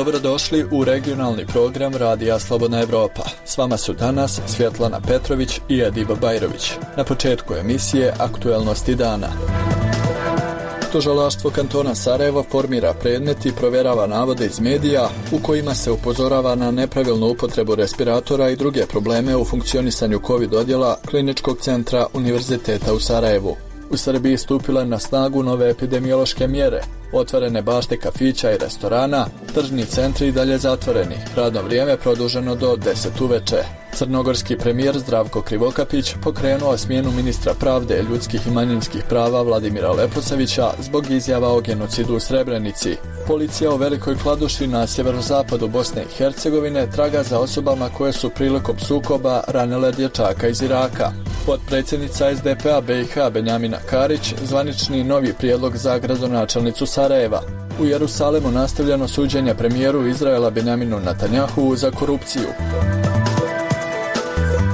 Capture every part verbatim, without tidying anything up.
Dobrodošli u regionalni program Radija Slobodna Evropa. S vama su danas Svjetlana Petrović i Ediba Bajrović. Na početku emisije Aktuelnosti dana. Tužilaštvo kantona Sarajevo formira predmet i provjerava navode iz medija u kojima se upozorava na nepravilnu upotrebu respiratora i druge probleme u funkcionisanju COVID odjela Kliničkog centra Univerziteta u Sarajevu. U Srbiji stupile na snagu nove epidemiološke mjere, otvorene bašte kafića i restorana, tržni centri i dalje zatvoreni, radno vrijeme produženo do deset uveče. Crnogorski premijer Zdravko Krivokapić pokrenuo smjenu ministra pravde, ljudskih i manjinskih prava Vladimira Leposavića zbog izjava o genocidu u Srebrenici. Policija u Velikoj Kladuši na sjeverozapadu Bosne i Hercegovine traga za osobama koje su prilikom sukoba ranile dječaka iz Iraka. Potpredsjednica es de pe a be i ha Benjamina Karić zvanični novi prijedlog za gradonačelnicu Sarajeva. U Jerusalemu nastavljeno suđenje premijeru Izraela Benjaminu Netanjahu za korupciju.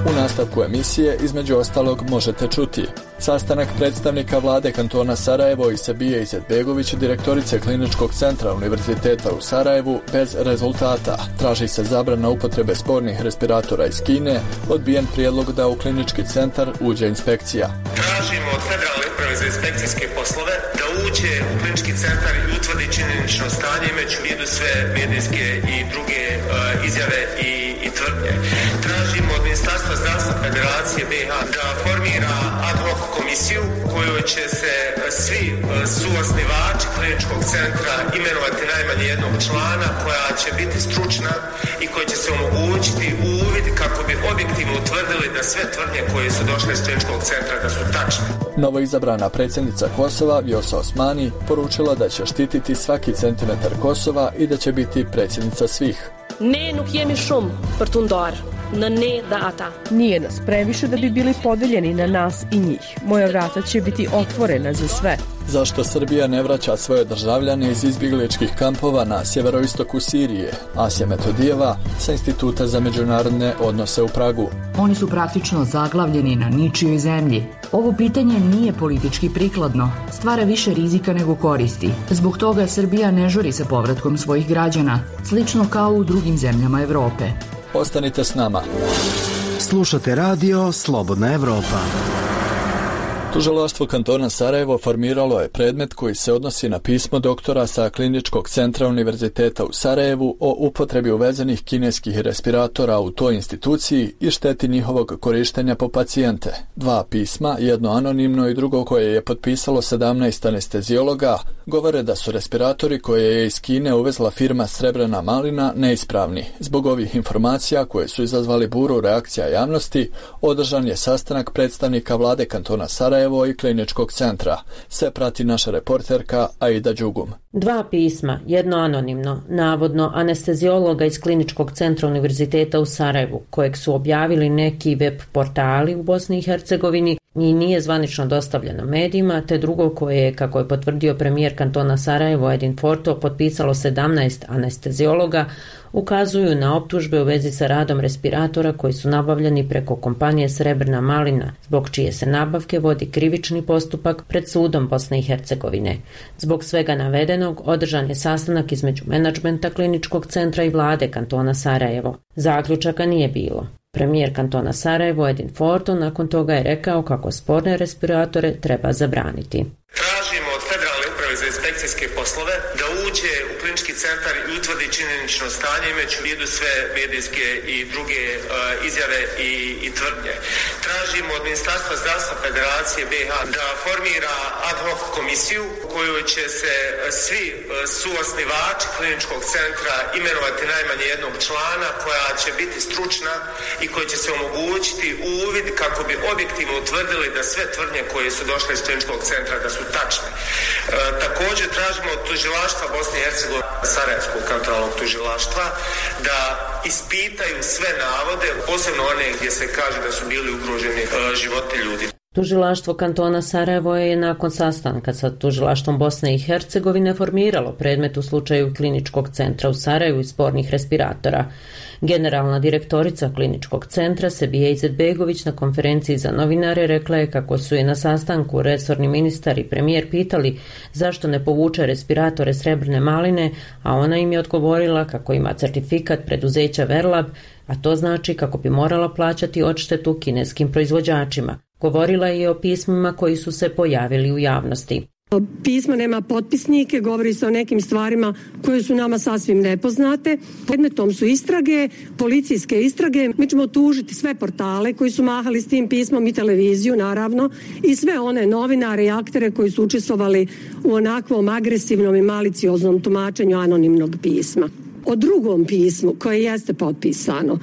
U nastavku emisije, između ostalog, možete čuti sastanak predstavnika vlade kantona Sarajevo i Sebije Izetbegović, direktorice Kliničkog centra Univerziteta u Sarajevu, bez rezultata. Traži se zabrana upotrebe spornih respiratora iz Kine, odbijen prijedlog da u klinički centar uđe inspekcija. Tražimo od Federalne uprave za inspekcijske poslove da uđe u klinički centar i utvrdi činjenično stanje, imajući u vidu sve medijske i druge uh, izjave i, i tvrdnje. Tražimo od Ministarstva zdravstva Federacije be i ha da formira ad hoc komisiju kojoj će se svi suosnivači kliničkog centra imenovati najmanje jednog člana, koja će biti stručna i koja će se omogućiti uvid kako bi objektivno utvrdili da sve tvrdnje koje su došle iz kliničkog centra da su tačne. Novoizabrana predsjednica Kosova Vjosa Osmani poručila da će štititi svaki centimetar Kosova i da će biti predsjednica svih. Ne nuk jemi shumë për tu ndarë në ne dhe ata. Nije nas previše da bi bili podeljeni na nas i njih. Moja vrata će biti otvorena za sve. Zašto Srbija ne vraća svoje državljane iz izbjegličkih kampova na sjeveroistoku Sirije? Asja Metodijeva sa Instituta za međunarodne odnose u Pragu. Oni su praktično zaglavljeni na ničijoj zemlji. Ovo pitanje nije politički prikladno, stvara više rizika nego koristi. Zbog toga Srbija ne žuri sa povratkom svojih građana, slično kao u drugim zemljama Evrope. Ostanite s nama. Slušate radio Slobodna Evropa. Tužilaštvo kantona Sarajevo formiralo je predmet koji se odnosi na pismo doktora sa Kliničkog centra Univerziteta u Sarajevu o upotrebi uvezenih kineskih respiratora u toj instituciji i šteti njihovog korištenja po pacijente. Dva pisma, jedno anonimno i drugo koje je potpisalo sedamnaest anestezijologa, govore da su respiratori koje je iz Kine uvezla firma Srebrena Malina neispravni. Zbog ovih informacija koje su izazvali buru reakcija javnosti, održan je sastanak predstavnika vlade kantona Sarajevo i Kliničkog centra. Sve prati naša reporterka Aida Đugum. Dva pisma, jedno anonimno, navodno anestezijologa iz Kliničkog centra Univerziteta u Sarajevu, kojeg su objavili neki web portali u Bosni i Hercegovini i nije zvanično dostavljeno medijima, te drugo koje je, kako je potvrdio premijer kantona Sarajevo Edin Forto, potpisalo sedamnaest anestezijologa, ukazuju na optužbe u vezi sa radom respiratora koji su nabavljeni preko kompanije Srebrna Malina, zbog čije se nabavke vodi krivični postupak pred sudom Bosne i Hercegovine. Zbog svega navedenog održan je sastanak između menadžmenta Kliničkog centra i vlade kantona Sarajevo. Zaključaka nije bilo. Premijer kantona Sarajevo Edin Forto nakon toga je rekao kako sporne respiratore treba zabraniti. Tražimo od Federalne uprave za inspekcijske poslove da uđe u klinički centar i utvrdi činjenično stanje, imajući u vidu sve medijske i druge uh, izjave i, i tvrdnje. Tražimo od Ministarstva zdravstva Federacije be i ha da formira ad hoc komisiju kojoj će se svi uh, suosnivači kliničkog centra imenovati najmanje jednog člana, koja će biti stručna i koja će se omogućiti uvid kako bi objektivno utvrdili da sve tvrdnje koje su došle iz kliničkog centra da su tačne. E, također tražimo od tužilaštva Bosne i Hercegovine, Sarajevskog kantonalnog tužilaštva, da ispitaju sve navode, posebno one gdje se kaže da su bili ugroženi e, životi ljudi. Tužilaštvo kantona Sarajevo je nakon sastanka sa tužilaštvom Bosne i Hercegovine formiralo predmet u slučaju kliničkog centra u Sarajevu i spornih respiratora. Generalna direktorica kliničkog centra Sebije Izetbegović na konferenciji za novinare rekla je kako su je na sastanku resorni ministar i premijer pitali zašto ne povuče respiratore Srebrne maline, a ona im je odgovorila kako ima certifikat preduzeća Verlab, a to znači kako bi morala plaćati odštetu kineskim proizvođačima. Govorila je i o pismima koji su se pojavili u javnosti. Pismo nema potpisnike, govori se o nekim stvarima koje su nama sasvim nepoznate. Predmetom su istrage, policijske istrage. Mi ćemo tužiti sve portale koji su mahali s tim pismom i televiziju, naravno, i sve one novinare i aktere koji su učestvovali u onakvom agresivnom i malicioznom tumačenju anonimnog pisma. O drugom pismu koje jeste potpisano,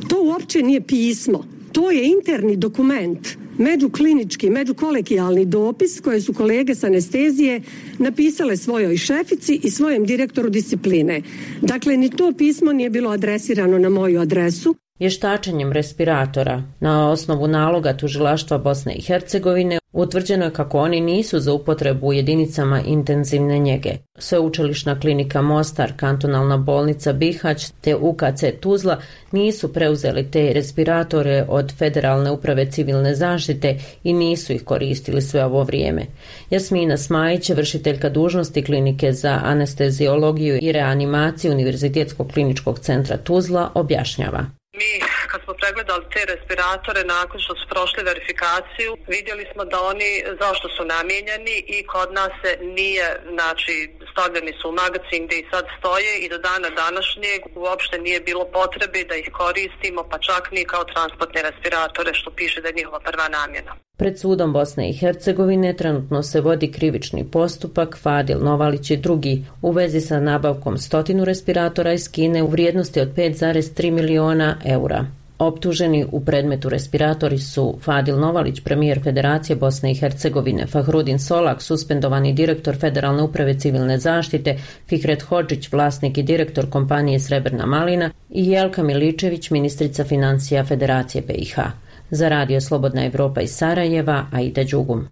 to uopće nije pismo, to je interni dokument, međuklinički, međukolegijalni dopis koje su kolege s anestezije napisale svojoj šefici i svojem direktoru discipline. Dakle, ni to pismo nije bilo adresirano na moju adresu. Vještačenjem respiratora na osnovu naloga tužilaštva Bosne i Hercegovine utvrđeno je kako oni nisu za upotrebu u jedinicama intenzivne njege. Sveučilišna klinika Mostar, kantonalna bolnica Bihać te U K C Tuzla nisu preuzeli te respiratore od Federalne uprave civilne zaštite i nisu ih koristili sve ovo vrijeme. Jasmina Smajić, vršiteljka dužnosti klinike za anesteziologiju i reanimaciju Univerzitetskog kliničkog centra Tuzla, objašnjava. Mi kad smo pregledali te respiratore nakon što su prošli verifikaciju, vidjeli smo da oni zašto su namijenjeni i kod nas se nije, znači stavljeni su u magacin gdje i sad stoje i do dana današnjeg uopšte nije bilo potrebe da ih koristimo, pa čak ni kao transportne respiratore, što piše da je njihova prva namjena. Pred sudom Bosne i Hercegovine trenutno se vodi krivični postupak Fadil Novalić i drugi u vezi sa nabavkom stotinu respiratora iz Kine u vrijednosti od pet zarez tri miliona eura. Optuženi u predmetu respiratori su Fadil Novalić, premijer Federacije Bosne i Hercegovine, Fahrudin Solak, suspendovani direktor Federalne uprave civilne zaštite, Fikret Hodžić, vlasnik i direktor kompanije Srebrna malina i Jelka Miličević, ministrica financija Federacije B i H. Za Radio Slobodna Evropa iz Sarajeva, Aida Đugum.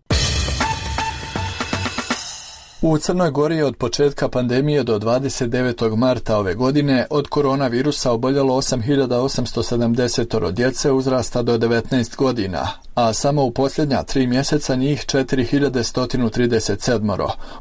U Crnoj Gori je od početka pandemije do dvadeset devetog marta ove godine od koronavirusa oboljelo osam hiljada osamsto sedamdeset djece uzrasta do devetnaest godina, a samo u posljednja tri mjeseca njih četiri hiljade sto trideset sedam.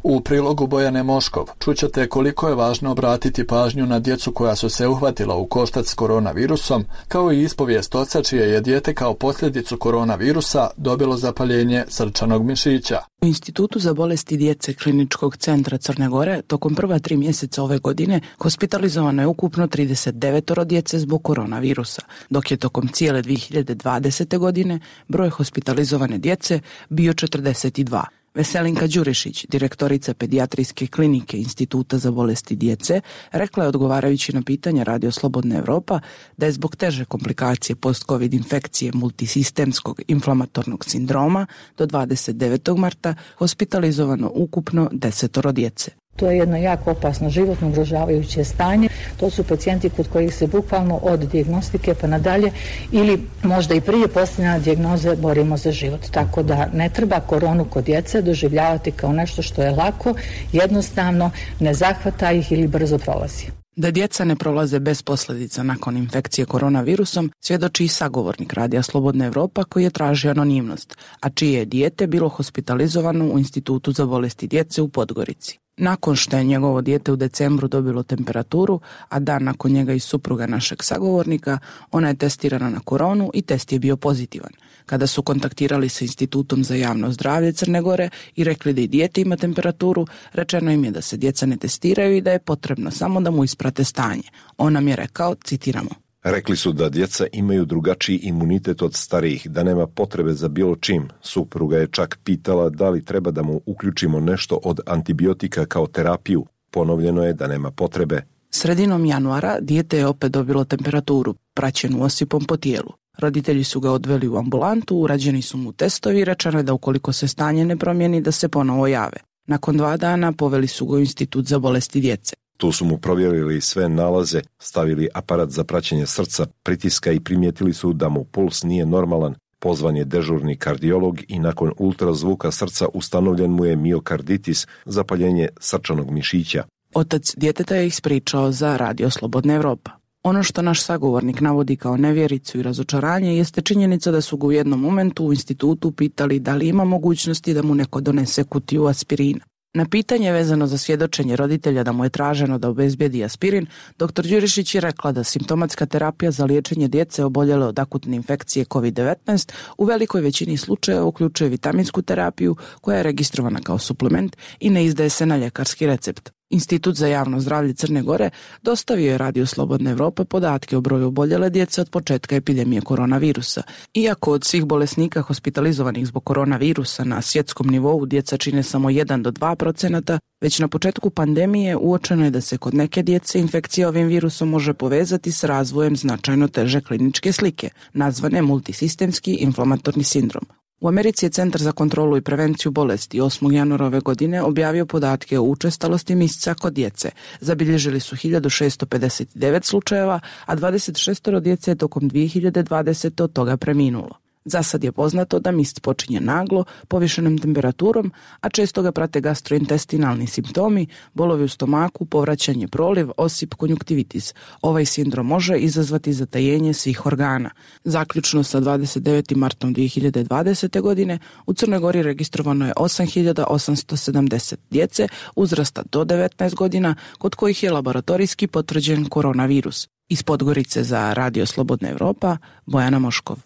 U prilogu Bojane Moškov čućete koliko je važno obratiti pažnju na djecu koja su se uhvatila u koštac s koronavirusom, kao i ispovijest oca čije je dijete kao posljedicu koronavirusa dobilo zapaljenje srčanog mišića. U Institutu za bolesti djece Kliničkog centra Crne Gore tokom prva tri mjeseca ove godine hospitalizovano je ukupno trideset devet djece zbog koronavirusa, dok je tokom cijele dvije hiljade dvadesete. godine broj hospitalizovane djece bio četrdeset dva. Veselinka Đurišić, direktorica pedijatrijske klinike Instituta za bolesti djece, rekla je odgovarajući na pitanje Radio Slobodna Evropa da je zbog teže komplikacije post-covid infekcije multisistemskog inflamatornog sindroma do dvadeset devetog marta hospitalizovano ukupno desetoro djece. To je jedno jako opasno životno ugrožavajuće stanje. To su pacijenti kod kojih se bukvalno od dijagnostike pa nadalje ili možda i prije postavljanja dijagnoze borimo za život. Tako da ne treba koronu kod djece doživljavati kao nešto što je lako, jednostavno, ne zahvata ih ili brzo prolazi. Da djeca ne prolaze bez posljedica nakon infekcije koronavirusom svjedoči i sagovornik Radija Slobodna Evropa koji je tražio anonimnost, a čije je dijete bilo hospitalizovano u Institutu za bolesti djece u Podgorici. Nakon što je njegovo dijete u decembru dobilo temperaturu, a dan nakon njega i supruga našeg sagovornika, ona je testirana na koronu i test je bio pozitivan. Kada su kontaktirali sa Institutom za javno zdravlje Crne Gore i rekli da i dijete ima temperaturu, rečeno im je da se djeca ne testiraju i da je potrebno samo da mu isprate stanje. On nam je rekao, citiramo: Rekli su da djeca imaju drugačiji imunitet od starijih, da nema potrebe za bilo čim. Supruga je čak pitala da li treba da mu uključimo nešto od antibiotika kao terapiju. Ponovljeno je da nema potrebe. Sredinom januara dijete je opet dobilo temperaturu, praćenu osipom po tijelu. Roditelji su ga odveli u ambulantu, urađeni su mu testovi i rečeno je da ukoliko se stanje ne promijeni da se ponovo jave. Nakon dva dana poveli su ga u Institut za bolesti djece. Tu su mu provjerili sve nalaze, stavili aparat za praćenje srca, pritiska i primijetili su da mu puls nije normalan. Pozvan je dežurni kardiolog i nakon ultrazvuka srca ustanovljen mu je miokarditis, zapaljenje srčanog mišića. Otac djeteta je ispričao za Radio Slobodna Evropa. Ono što naš sagovornik navodi kao nevjericu i razočaranje jeste činjenica da su ga u jednom momentu u institutu pitali da li ima mogućnosti da mu neko donese kutiju aspirina. Na pitanje vezano za svjedočenje roditelja da mu je traženo da obezbedi aspirin, doktor Đurišić je rekla da simptomatska terapija za liječenje djece oboljele od akutne infekcije kovid devetnaest u velikoj većini slučajeva uključuje vitaminsku terapiju koja je registrovana kao suplement i ne izdaje se na ljekarski recept. Institut za javno zdravlje Crne Gore dostavio je Radio Slobodna Evropa podatke o broju oboljele djece od početka epidemije koronavirusa. Iako od svih bolesnika hospitalizovanih zbog koronavirusa na svjetskom nivou djeca čine samo jedan do dva procenata, već na početku pandemije uočeno je da se kod neke djece infekcija ovim virusom može povezati s razvojem značajno teže kliničke slike, nazvane multisistemski inflamatorni sindrom. U Americi je Centar za kontrolu i prevenciju bolesti osmog januara ove godine objavio podatke o učestalosti misca kod djece. Zabilježili su hiljadu šesto pedeset devet slučajeva, a dvadeset šest djece je tokom dvije hiljade dvadesete od toga preminulo. Za sad je poznato da mist počinje naglo, povišenom temperaturom, a često ga prate gastrointestinalni simptomi, bolovi u stomaku, povraćanje proliv, osip, konjuktivitis. Ovaj sindrom može izazvati zatajenje svih organa. Zaključno sa dvadeset devetim martom dvije hiljade dvadesete. godine u Crnoj Gori registrovano je osam hiljada osamsto sedamdeset djece uzrasta do devetnaest godina, kod kojih je laboratorijski potvrđen koronavirus. Iz Podgorice za Radio Slobodna Evropa, Bojana Moškov.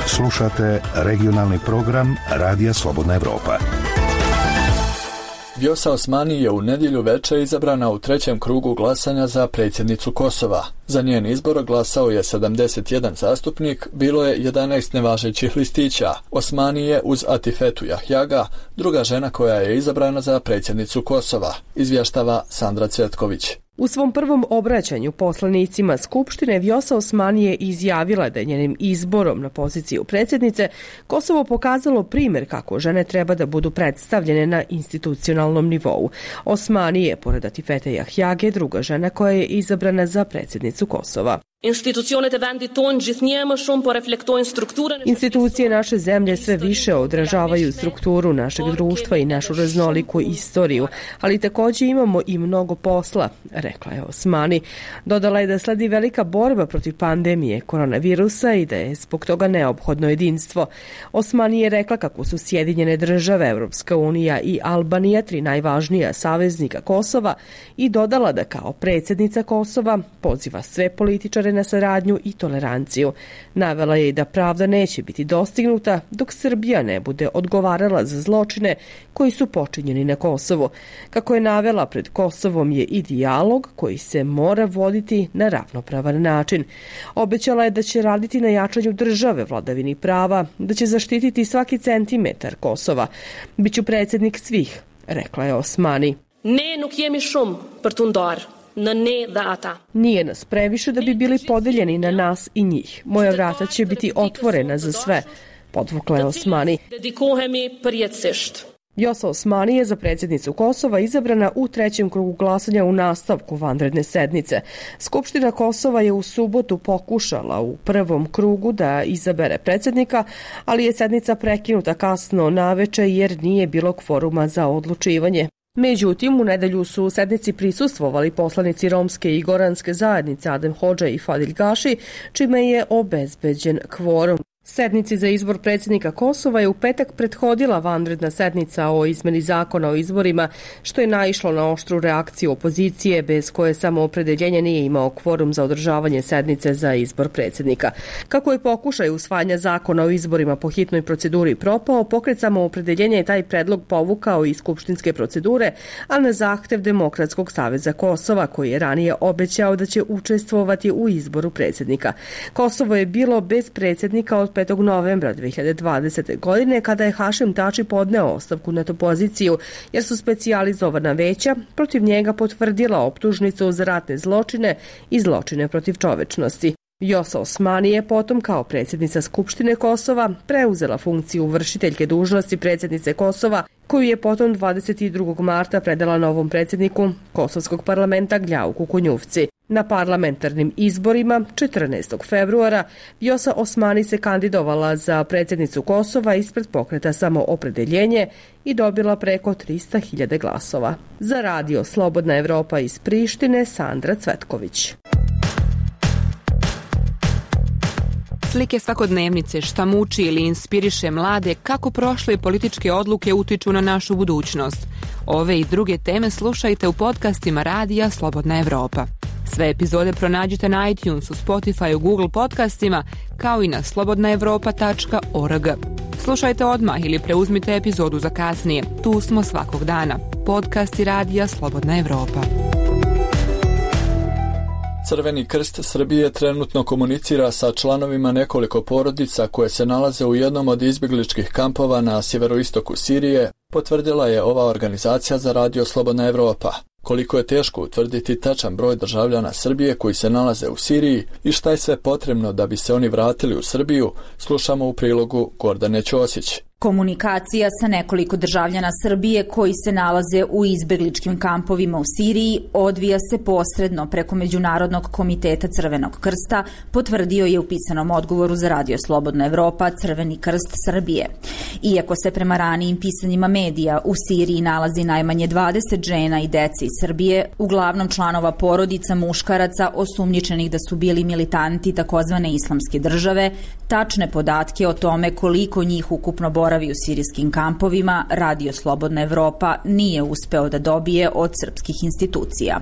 Slušate regionalni program Radija Slobodna Evropa. Vjosa Osmani je u nedjelju veče izabrana u trećem krugu glasanja za predsjednicu Kosova. Za njen izbor glasao je sedamdeset jedan zastupnik, bilo je jedanaest nevažećih listića. Osmani je uz Atifetu Jahjaga druga žena koja je izabrana za predsjednicu Kosova, izvještava Sandra Cvetković. U svom prvom obraćanju poslanicima Skupštine Vjosa Osmani je izjavila da je njenim izborom na poziciju predsjednice Kosovo pokazalo primjer kako žene treba da budu predstavljene na institucionalnom nivou. Osmani je, pored Atifete Jahjage, druga žena koja je izabrana za predsjednicu Kosova. Institucije naše zemlje sve više odražavaju strukturu našeg društva i našu raznoliku istoriju, ali također imamo i mnogo posla, rekla je Osmani. Dodala je da sledi velika borba protiv pandemije koronavirusa i da je zbog toga neophodno jedinstvo. Osmani je rekla kako su Sjedinjene države, Evropska unija i Albanija tri najvažnija saveznika Kosova i dodala da kao predsjednica Kosova poziva sve političare na saradnju i toleranciju. Navela je i da pravda neće biti dostignuta dok Srbija ne bude odgovarala za zločine koji su počinjeni na Kosovu. Kako je navela, pred Kosovom je i dijalog koji se mora voditi na ravnopravan način. Obećala je da će raditi na jačanju države, vladavini prava, da će zaštititi svaki centimetar Kosova. Biću predsjednik svih, rekla je Osmani. Ne nuk jemi shumë për t'u ndarë. Na ne dhe ata. Nije nas previše da bi bili podeljeni na nas i njih. Moja vrata će biti otvorena za sve, podvukla je Osmani. Dedikohemi përjetësisht. Vjosa Osmani je za predsjednicu Kosova izabrana u trećem krugu glasanja u nastavku vanredne sednice. Skupština Kosova je u subotu pokušala u prvom krugu da izabere predsjednika, ali je sednica prekinuta kasno naveče jer nije bilo kvoruma za odlučivanje. Međutim, u nedelju su u sednici prisustvovali poslanici romske i goranske zajednice Adem Hodža i Fadil Gaši, čime je obezbeđen kvorum. Sednici za izbor predsjednika Kosova je u petak prethodila vanredna sednica o izmeni zakona o izborima, što je naišlo na oštru reakciju opozicije, bez koje samoopredeljenje nije imao kvorum za održavanje sednice za izbor predsjednika. Kako je pokušaj usvajanja zakona o izborima po hitnoj proceduri propao, pokret samoopredeljenja je taj predlog povukao iz skupštinske procedure, a na zahtev Demokratskog saveza Kosova, koji je ranije obećao da će učestvovati u izboru predsjednika. Kosovo je bilo bez predsjednika od petog novembra dvije hiljade dvadesete. godine kada je Hašim Tači podneo ostavku na tu poziciju jer su specijalizovana veća protiv njega potvrdila optužnicu za ratne zločine i zločine protiv čovečnosti. Vjosa Osmani je potom kao predsjednica Skupštine Kosova preuzela funkciju vršiteljke dužnosti predsjednice Kosova, koju je potom dvadeset drugog marta predala novom predsjedniku Kosovskog parlamenta Gljauku Kunjufci. Na parlamentarnim izborima četrnaestog februara Vjosa Osmani se kandidovala za predsjednicu Kosova ispred pokreta Samoopredeljenje i dobila preko trista hiljada glasova. Za radio Slobodna Evropa iz Prištine, Sandra Cvetković. Slike svakodnevnice, šta muči ili inspiriše mlade, kako prošle političke odluke utiču na našu budućnost. Ove i druge teme slušajte u podcastima Radija Slobodna Evropa. Sve epizode pronađite na iTunesu, Spotifyu, Google podcastima, kao i na slobodna evropa tačka org. Slušajte odmah ili preuzmite epizodu za kasnije. Tu smo svakog dana. Podcasti Radija Slobodna Evropa. Crveni krst Srbije trenutno komunicira sa članovima nekoliko porodica koje se nalaze u jednom od izbjegličkih kampova na sjeveroistoku Sirije, potvrdila je ova organizacija za Radio Slobodna Evropa. Koliko je teško utvrditi tačan broj državljana Srbije koji se nalaze u Siriji i šta je sve potrebno da bi se oni vratili u Srbiju, slušamo u prilogu Gordane Ćosić. Komunikacija sa nekoliko državljana Srbije koji se nalaze u izbegličkim kampovima u Siriji odvija se posredno preko Međunarodnog komiteta Crvenog krsta, potvrdio je u pisanom odgovoru za Radio Slobodna Evropa Crveni krst Srbije. Iako se prema ranijim pisanjima medija u Siriji nalazi najmanje dvadeset žena i dece iz Srbije, uglavnom članova porodica muškaraca osumnjičenih da su bili militanti takozvane islamske države, tačne podatke o tome koliko njih ukupno boravi u sirijskim kampovima Radio Slobodna Evropa nije uspeo da dobije od srpskih institucija.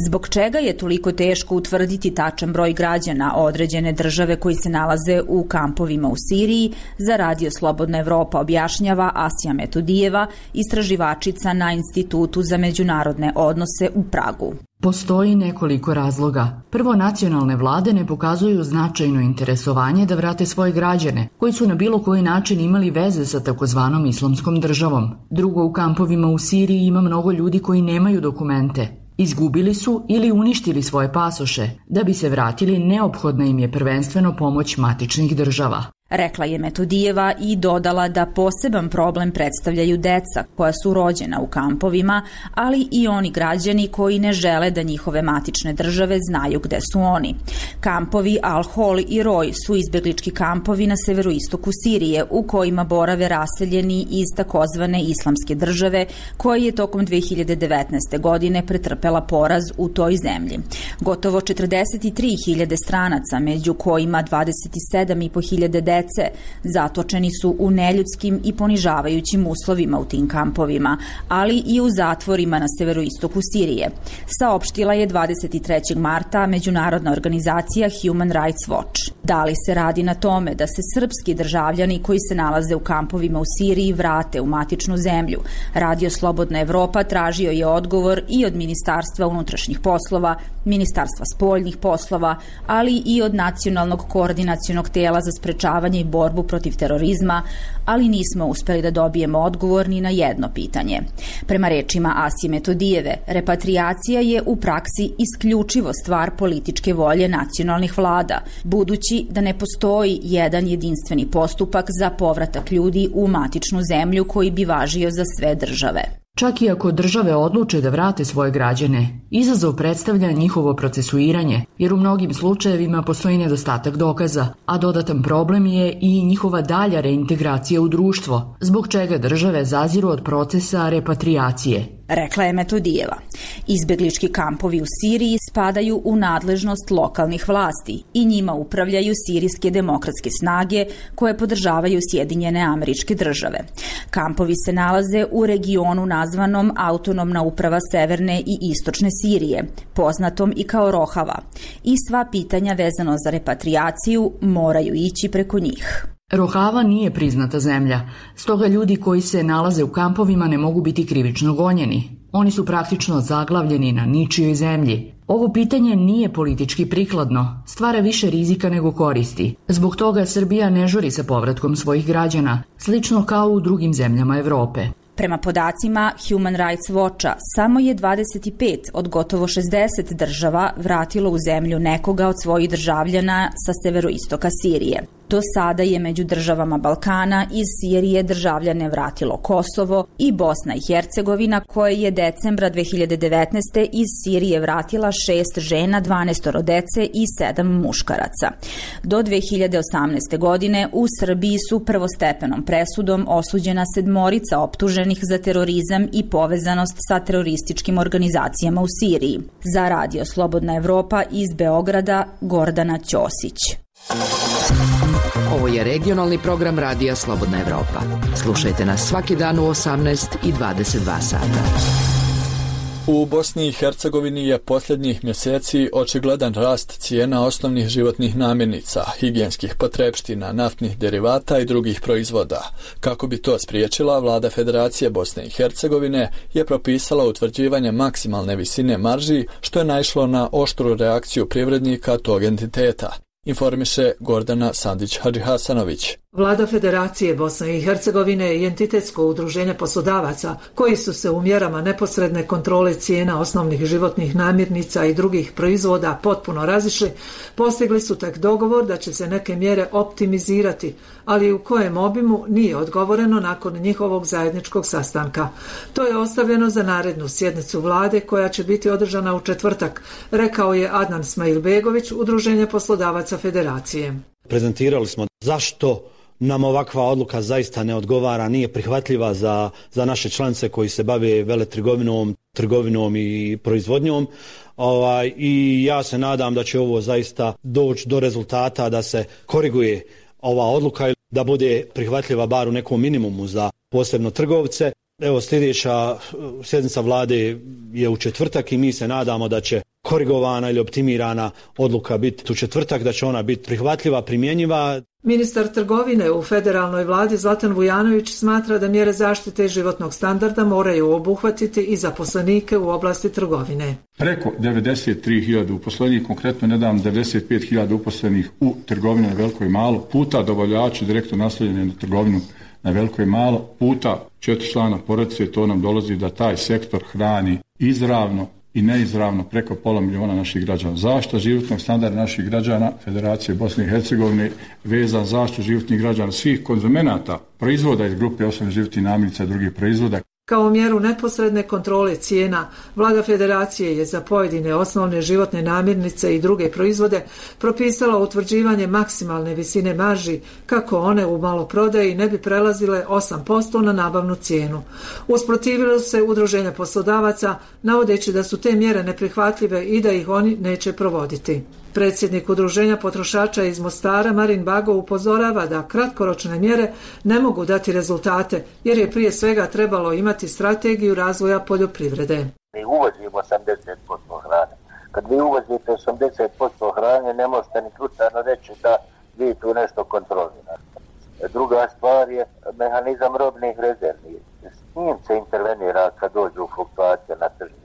Zbog čega je toliko teško utvrditi tačan broj građana određene države koji se nalaze u kampovima u Siriji, za Radio Slobodna Evropa objašnjava Asija Metodijeva, istraživačica na Institutu za međunarodne odnose u Pragu. Postoji nekoliko razloga. Prvo, nacionalne vlade ne pokazuju značajno interesovanje da vrate svoje građane, koji su na bilo koji način imali veze sa takozvanom islamskom državom. Drugo, u kampovima u Siriji ima mnogo ljudi koji nemaju dokumente. Izgubili su ili uništili svoje pasoše. Da bi se vratili, neophodna im je prvenstveno pomoć matičnih država. Rekla je Metodijeva i dodala da poseban problem predstavljaju deca koja su rođena u kampovima, ali i oni građani koji ne žele da njihove matične države znaju gde su oni. Kampovi Al-Hol i Roj su izbeglički kampovi na severoistoku Sirije u kojima borave raseljeni iz takozvane islamske države koja je tokom dve hiljade devetnaeste. godine pretrpela poraz u toj zemlji. Gotovo četrdeset tri hiljade stranaca, među kojima dvadeset sedam i po hiljade dece, zatočeni su u neljudskim i ponižavajućim uslovima u tim kampovima, ali i u zatvorima na severoistoku Sirije, saopštila je dvadeset trećeg marta međunarodna organizacija Human Rights Watch. Da li se radi na tome da se srpski državljani koji se nalaze u kampovima u Siriji vrate u matičnu zemlju? Radio Slobodna Evropa tražio je odgovor i od Ministarstva unutrašnjih poslova, Ministarstva spoljnih poslova, ali i od Nacionalnog koordinacionog tela za sprečavanje i borbu protiv terorizma, ali nismo uspeli da dobijemo odgovor ni na jedno pitanje. Prema rečima Asije Metodijeve, repatriacija je u praksi isključivo stvar političke volje nacionalnih vlada, budući da ne postoji jedan jedinstveni postupak za povratak ljudi u matičnu zemlju koji bi važio za sve države. Čak i ako države odluče da vrate svoje građane, izazov predstavlja njihovo procesuiranje, jer u mnogim slučajevima postoji nedostatak dokaza, a dodatan problem je i njihova dalja reintegracija u društvo, zbog čega države zaziru od procesa repatriacije. Rekla je Metodijeva. Izbeglički kampovi u Siriji spadaju u nadležnost lokalnih vlasti i njima upravljaju sirijske demokratske snage koje podržavaju Sjedinjene Američke Države. Kampovi se nalaze u regionu nazvanom Autonomna uprava Severne i Istočne Sirije, poznatom i kao Rohava, i sva pitanja vezano za repatriaciju moraju ići preko njih. Rohava nije priznata zemlja, stoga ljudi koji se nalaze u kampovima ne mogu biti krivično gonjeni. Oni su praktično zaglavljeni na ničijoj zemlji. Ovo pitanje nije politički prikladno, stvara više rizika nego koristi. Zbog toga Srbija ne žuri sa povratkom svojih građana, slično kao u drugim zemljama Evrope. Prema podacima Human Rights Watcha, samo je dvadeset pet od gotovo šezdeset država vratilo u zemlju nekoga od svojih državljana sa severoistoka Sirije. Do sada je među državama Balkana iz Sirije državljane vratilo Kosovo i Bosna i Hercegovina, koje je decembra dve hiljade devetnaeste. iz Sirije vratila šest žena, dvanaestoro dece i sedam muškaraca. Do dve hiljade osamnaeste. godine u Srbiji su prvostepenom presudom osuđena sedmorica optuženih za terorizam i povezanost sa terorističkim organizacijama u Siriji. Za Radio Slobodna Evropa iz Beograda, Gordana Ćosić. Ovo je regionalni program Radija Slobodna Evropa. Slušajte nas svaki dan u osamnaest i dvadeset dva sata. U Bosni i Hercegovini je posljednjih mjeseci očigledan rast cijena osnovnih životnih namirnica, higijenskih potrepština, naftnih derivata i drugih proizvoda. Kako bi to spriječila, vlada Federacije Bosne i Hercegovine je propisala utvrđivanje maksimalne visine marži, što je naišlo na oštru reakciju privrednika tog entiteta. Informiše Gordana Sandić-Hadžihasanović. Vlada Federacije Bosne i Hercegovine i entitetsko udruženje poslodavaca, koji su se u mjerama neposredne kontrole cijena osnovnih životnih namirnica i drugih proizvoda potpuno razišli, postigli su tek dogovor da će se neke mjere optimizirati, ali u kojem obimu nije odgovoreno nakon njihovog zajedničkog sastanka. To je ostavljeno za narednu sjednicu vlade koja će biti održana u četvrtak, rekao je Adnan Smailbegović, udruženje poslodavaca Federacije. Prezentirali smo zašto nam ovakva odluka zaista ne odgovara, nije prihvatljiva za, za naše članice koji se bave veletrgovinom, trgovinom i proizvodnjom. Ovaj, I ja se nadam da će ovo zaista doći do rezultata da se koriguje ova odluka i da bude prihvatljiva bar u nekom minimumu za posebno trgovce. Evo, sljedeća sjednica vlade je u četvrtak i mi se nadamo da će korigovana ili optimirana odluka biti u četvrtak, da će ona biti prihvatljiva, primjenjiva. Ministar trgovine u federalnoj vladi Zlatan Vujanović smatra da mjere zaštite životnog standarda moraju obuhvatiti i zaposlenike u oblasti trgovine. Preko devedeset tri hiljade uposlenih, konkretno nedavno devedeset pet hiljada uposlenih u trgovini na veliko i malo, puta dobavljači direktno naslovljeni na trgovinu na veliko i malo, puta četiri člana porodice, to nam dolazi da taj sektor hrani izravno i neizravno preko pola miliona naših građana. Zaštita životnog standarda naših građana Federacije Bosne i Hercegovine vezan zaštitu životnih građana svih konzumenata proizvoda iz grupe osnovnih životnih namirnica i drugih proizvoda. Kao mjeru neposredne kontrole cijena, vlada Federacije je za pojedine osnovne životne namirnice i druge proizvode propisala utvrđivanje maksimalne visine marži kako one u maloprodaji ne bi prelazile osam posto na nabavnu cijenu. Usprotivilo se udruženja poslodavaca, navodeći da su te mjere neprihvatljive i da ih oni neće provoditi. Predsjednik udruženja potrošača iz Mostara Marin Bago upozorava da kratkoročne mjere ne mogu dati rezultate, jer je prije svega trebalo imati strategiju razvoja poljoprivrede. Mi uvozimo osamdeset posto hrane. Kad vi uvozite osamdeset posto hrane, ne možete ni slučajno reći da vi tu nešto kontrolirate. Druga stvar je mehanizam robnih rezervi. S njim se intervenira kad dođu fluktuacije na tržištu.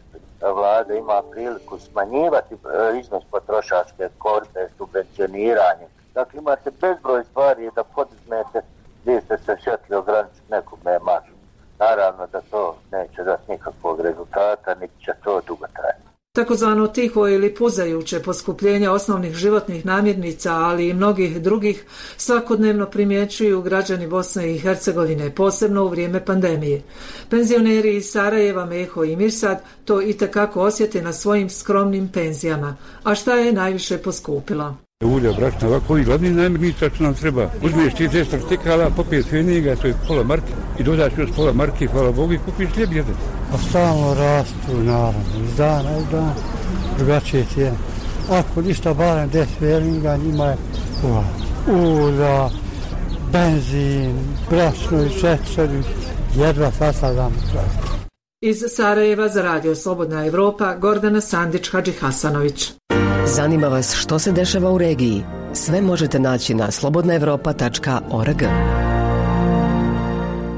Vlada ima priliku smanjivati iznos potrošačke korpe, subvencioniranje. Dakle, imate bezbroj stvari da podizmete, vi ste se šetli ograničiti nekome maržu. Naravno da to neće dati nikakvog rezultata, niti će to dugo trajati. Takozvano tiho ili puzajuće poskupljenje osnovnih životnih namirnica, ali i mnogih drugih, svakodnevno primjećuju građani Bosne i Hercegovine, posebno u vrijeme pandemije. Penzioneri iz Sarajeva, Meho i Mirsad to itekako osjete na svojim skromnim penzijama. A šta je najviše poskupilo? Ulja, brašna, ovako i glavni namirnica što nam treba. Uzmiješ ti deset stikala, popiješ feniga, to je pola marke, i dodaš još pola marke, hvala Bogu, i kupiš hljeb jedan. Pa stalno rastu, naravno, iz dana u dan, drugačije cijene. Ako ništa barem deset feniga, njima je ulja, benzin, brašno i šećer, jedva sastavljamo čast. Iz Sarajeva za Radio Slobodna Evropa, Gordana Sandić-Hadžihasanović. Zanima vas što se dešava u regiji? Sve možete naći na slobodna evropa tačka org.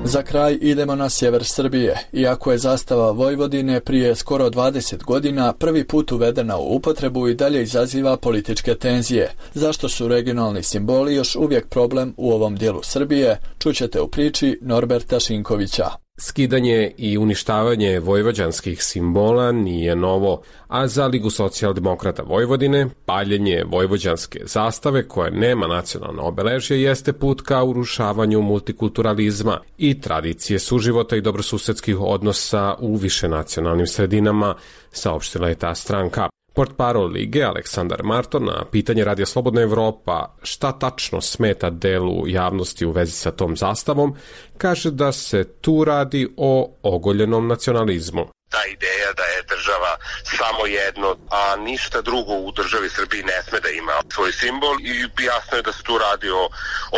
Za kraj idemo na sjever Srbije. Iako je zastava Vojvodine prije skoro dvadeset godina prvi put uvedena u upotrebu, i dalje izaziva političke tenzije. Zašto su regionalni simboli još uvijek problem u ovom dijelu Srbije, čućete u priči Norberta Šinkovića. Skidanje i uništavanje vojvođanskih simbola nije novo, a za Ligu socijaldemokrata Vojvodine paljenje vojvođanske zastave koja nema nacionalno obeležje jeste put ka urušavanju multikulturalizma i tradicije suživota i dobrosusedskih odnosa u višenacionalnim sredinama, saopštila je ta stranka. Portparol Lige Aleksandar Marton na pitanje Radija Slobodna Evropa šta tačno smeta delu javnosti u vezi sa tom zastavom, kaže da se tu radi o ogoljenom nacionalizmu. Ta ideja da je država samo jedno, a ništa drugo u državi Srbiji ne sme da ima svoj simbol i jasno je da se tu radi o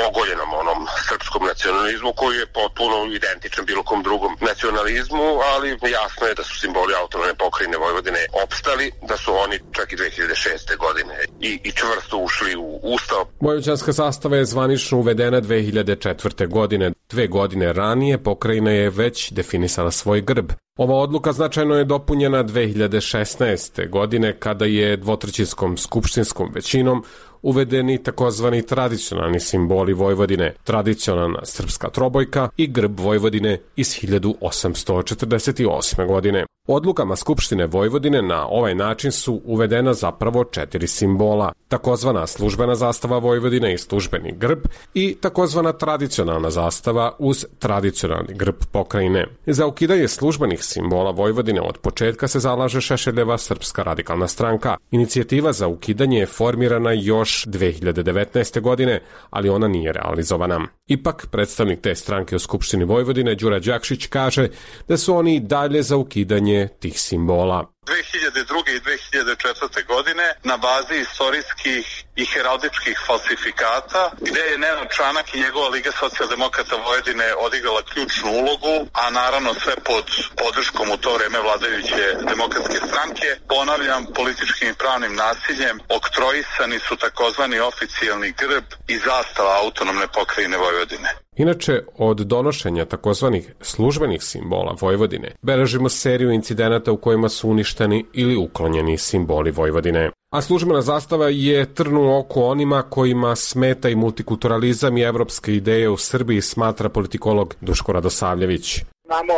ogoljenom onom srpskom nacionalizmu koji je potpuno identičan bilo kom drugom nacionalizmu, ali jasno je da su simboli autonomne pokrajine Vojvodine opstali, da su oni čak i dve hiljade šeste. godine i, i čvrsto ušli u Ustav. Vojvođanska zastava je zvanično uvedena dve hiljade četvrte. godine. Dve godine ranije pokrajina je već definisala svoj grb. Ova odluka značajno je dopunjena dve hiljade šesnaeste. godine kada je dvotrećinskom skupštinskom većinom uvedeni takozvani tradicionalni simboli Vojvodine, tradicionalna srpska trobojka i grb Vojvodine iz hiljadu osamsto četrdeset osme. godine. Odlukama Skupštine Vojvodine na ovaj način su uvedena zapravo četiri simbola, takozvana službena zastava Vojvodine i službeni grb i takozvana tradicionalna zastava uz tradicionalni grb pokrajine. Za ukidanje službenih simbola Vojvodine od početka se zalaže Šešeljeva Srpska radikalna stranka. Inicijativa za ukidanje je formirana još dve hiljade devetnaeste. godine, ali ona nije realizovana. Ipak, predstavnik te stranke u Skupštini Vojvodine, Đura Đakšić, kaže da su oni i dalje za ukidanje tih simbola. dve hiljade druge. i dve hiljade četvrte. godine na bazi istorijskih i heraldičkih falsifikata, gde je Nenad Čanak i njegova Liga socijaldemokrata Vojvodine odigrala ključnu ulogu, a naravno sve pod podrškom u to vreme vladajuće demokratske stranke. Ponavljam, političkim i pravnim nasiljem oktroisani su takozvani oficijalni grb i zastava autonomne pokrajine Vojvodine. Inače, od donošenja takozvanih službenih simbola Vojvodine beležimo seriju incidenata u kojima su uništeni ili uklonjeni simboli Vojvodine. A službena zastava je trn u oku onima kojima smeta i multikulturalizam i evropske ideje u Srbiji, smatra politikolog Duško Radosavljević. Imamo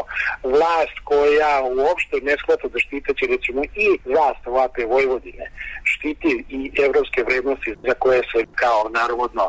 vlast koja uopšte ne shvata da štiteći recimo i vlast ovakve Vojvodine štiti i evropske vrednosti za koje se kao narodno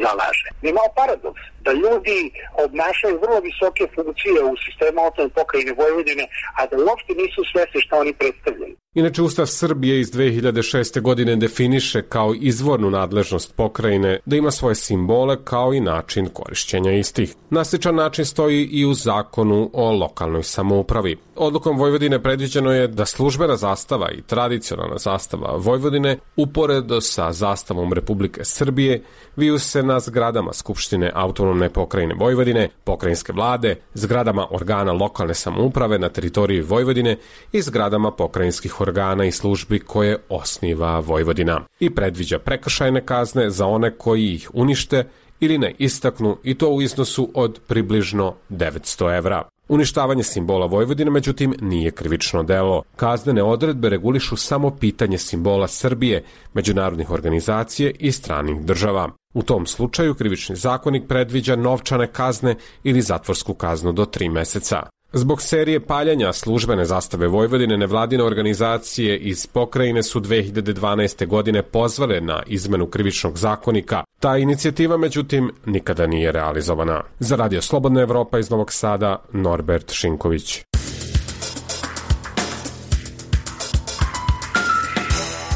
zalaže. Imamo paradoks da ljudi obnašaju vrlo visoke funkcije u sistemu autonomne pokrajine Vojvodine, a da uopšte nisu svesni šta oni predstavljaju. Inače, Ustav Srbije iz dve hiljade šeste. godine definiše kao izvornu nadležnost pokrajine da ima svoje simbole kao i način korišćenja istih. Na sličan način stoji i u zakonu o lokalnoj samoupravi. Odlukom Vojvodine predviđeno je da službena zastava i tradicionalna zastava Vojvodine uporedo sa zastavom Republike Srbije viju se na zgradama Skupštine autonomne pokrajine Vojvodine, pokrajinske vlade, zgradama organa lokalne samouprave na teritoriji Vojvodine i zgradama pokrajinskih organa i službi koje osniva Vojvodina i predviđa prekršajne kazne za one koji ih unište ili ne istaknu, i to u iznosu od približno devetsto evra. Uništavanje simbola Vojvodine, međutim, nije krivično delo. Kaznene odredbe regulišu samo pitanje simbola Srbije, međunarodnih organizacije i stranih država. U tom slučaju krivični zakonik predviđa novčane kazne ili zatvorsku kaznu do tri meseca. Zbog serije paljanja službene zastave Vojvodine, nevladine organizacije iz pokrajine su dve hiljade dvanaeste. godine pozvale na izmenu krivičnog zakonika. Ta inicijativa, međutim, nikada nije realizovana. Za Radio Slobodna Evropa iz Novog Sada, Norbert Šinković.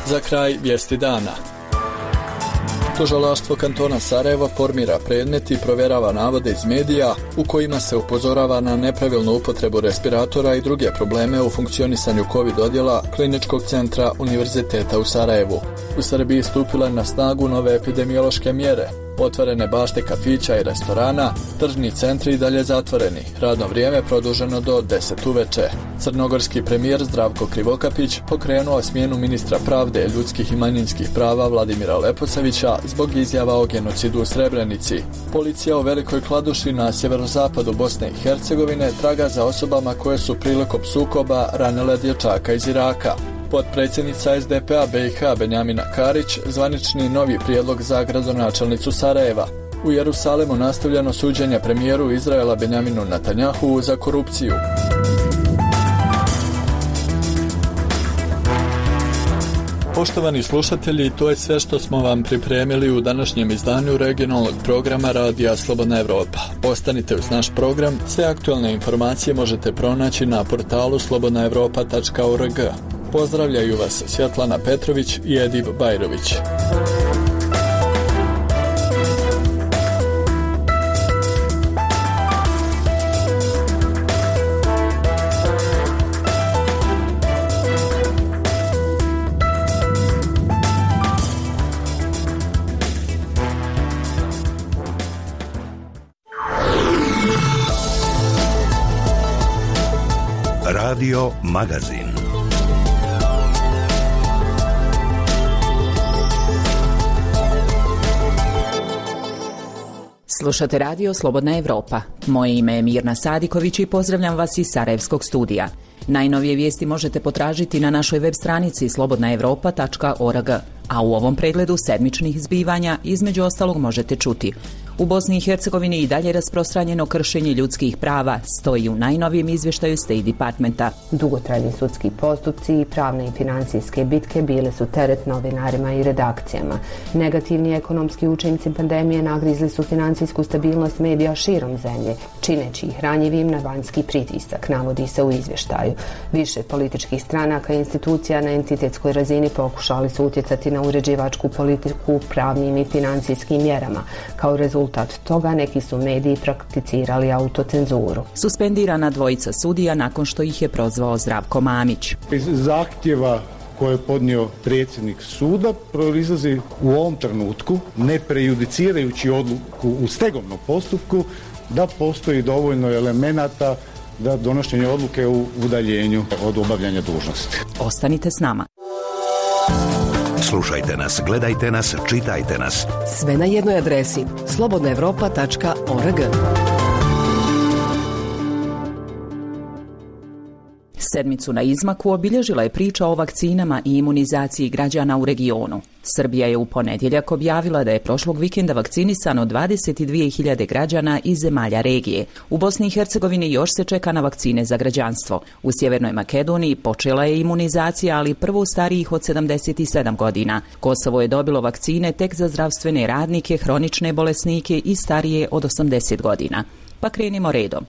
Za kraj vijesti dana. Tužilaštvo kantona Sarajevo formira predmet i provjerava navode iz medija u kojima se upozorava na nepravilnu upotrebu respiratora i druge probleme u funkcionisanju COVID odjela Kliničkog centra Univerziteta u Sarajevu. U Srbiji stupile na snagu nove epidemiološke mjere. Otvorene bašte kafića i restorana, tržni centri i dalje zatvoreni. Radno vrijeme produženo do deset uveče. Crnogorski premijer Zdravko Krivokapić pokrenuo smjenu ministra pravde, ljudskih i manjinskih prava Vladimira Leposavića zbog izjava o genocidu u Srebrenici. Policija u Velikoj Kladuši na sjeverozapadu Bosne i Hercegovine traga za osobama koje su prilikom sukoba ranile dječaka iz Iraka. Potpredsjednica es de pe a be i ha Benjamina Karić zvanični novi prijedlog za gradonačelnicu Sarajeva. U Jerusalemu nastavljeno suđenje premijeru Izraela Benjaminu Netanjahu za korupciju. Poštovani slušatelji, to je sve što smo vam pripremili u današnjem izdanju regionalnog programa Radija Slobodna Evropa. Ostanite uz naš program, sve aktualne informacije možete pronaći na portalu slobodna evropa tačka org. Pozdravljaju vas Svjetlana Petrović i Edip Bajrović. Radio Magazin. Slušate Radio Slobodna Evropa. Moje ime je Mirna Sadiković i pozdravljam vas iz Sarajevskog studija. Najnovije vijesti možete potražiti na našoj web stranici slobodna evropa tačka org, a u ovom pregledu sedmičnih zbivanja između ostalog možete čuti: u Bosni i Hercegovini i dalje rasprostranjeno kršenje ljudskih prava, stoji u najnovijem izvještaju State Departmenta. Dugotrajni sudski postupci i pravne i financijske bitke bile su teret novinarima i redakcijama. Negativni ekonomski učinci pandemije nagrizli su financijsku stabilnost medija širom zemlje, čineći ih ranjivim na vanjski pritisak, navodi se u izvještaju. Više političkih stranaka i institucija na entitetskoj razini pokušali su utjecati na uređivačku politiku pravnim i financijskim mjerama. Kao rezultat toga neki su mediji prakticirali autocenzuru. Suspendirana dvojica sudija nakon što ih je prozvao Zdravko Mamić. Iz zahtjeva koje je podnio predsjednik suda proizlazi u ovom trenutku, ne prejudicirajući odluku u stegovnom postupku, da postoji dovoljno elemenata da donošenje odluke u udaljenju od obavljanja dužnosti. Ostanite s nama. Slušajte nas, gledajte nas, čitajte nas. Sve na jednoj adresi slobodna evropa tačka org. Sedmicu na izmaku obilježila je priča o vakcinama i imunizaciji građana u regionu. Srbija je u ponedjeljak objavila da je prošlog vikenda vakcinisano dvadeset dvije hiljade građana iz zemalja regije. U Bosni i Hercegovini još se čeka na vakcine za građanstvo. U Sjevernoj Makedoniji počela je imunizacija, ali prvo starijih od sedamdeset sedam godina. Kosovo je dobilo vakcine tek za zdravstvene radnike, hronične bolesnike i starije od osamdeset godina. Pa krenimo redom.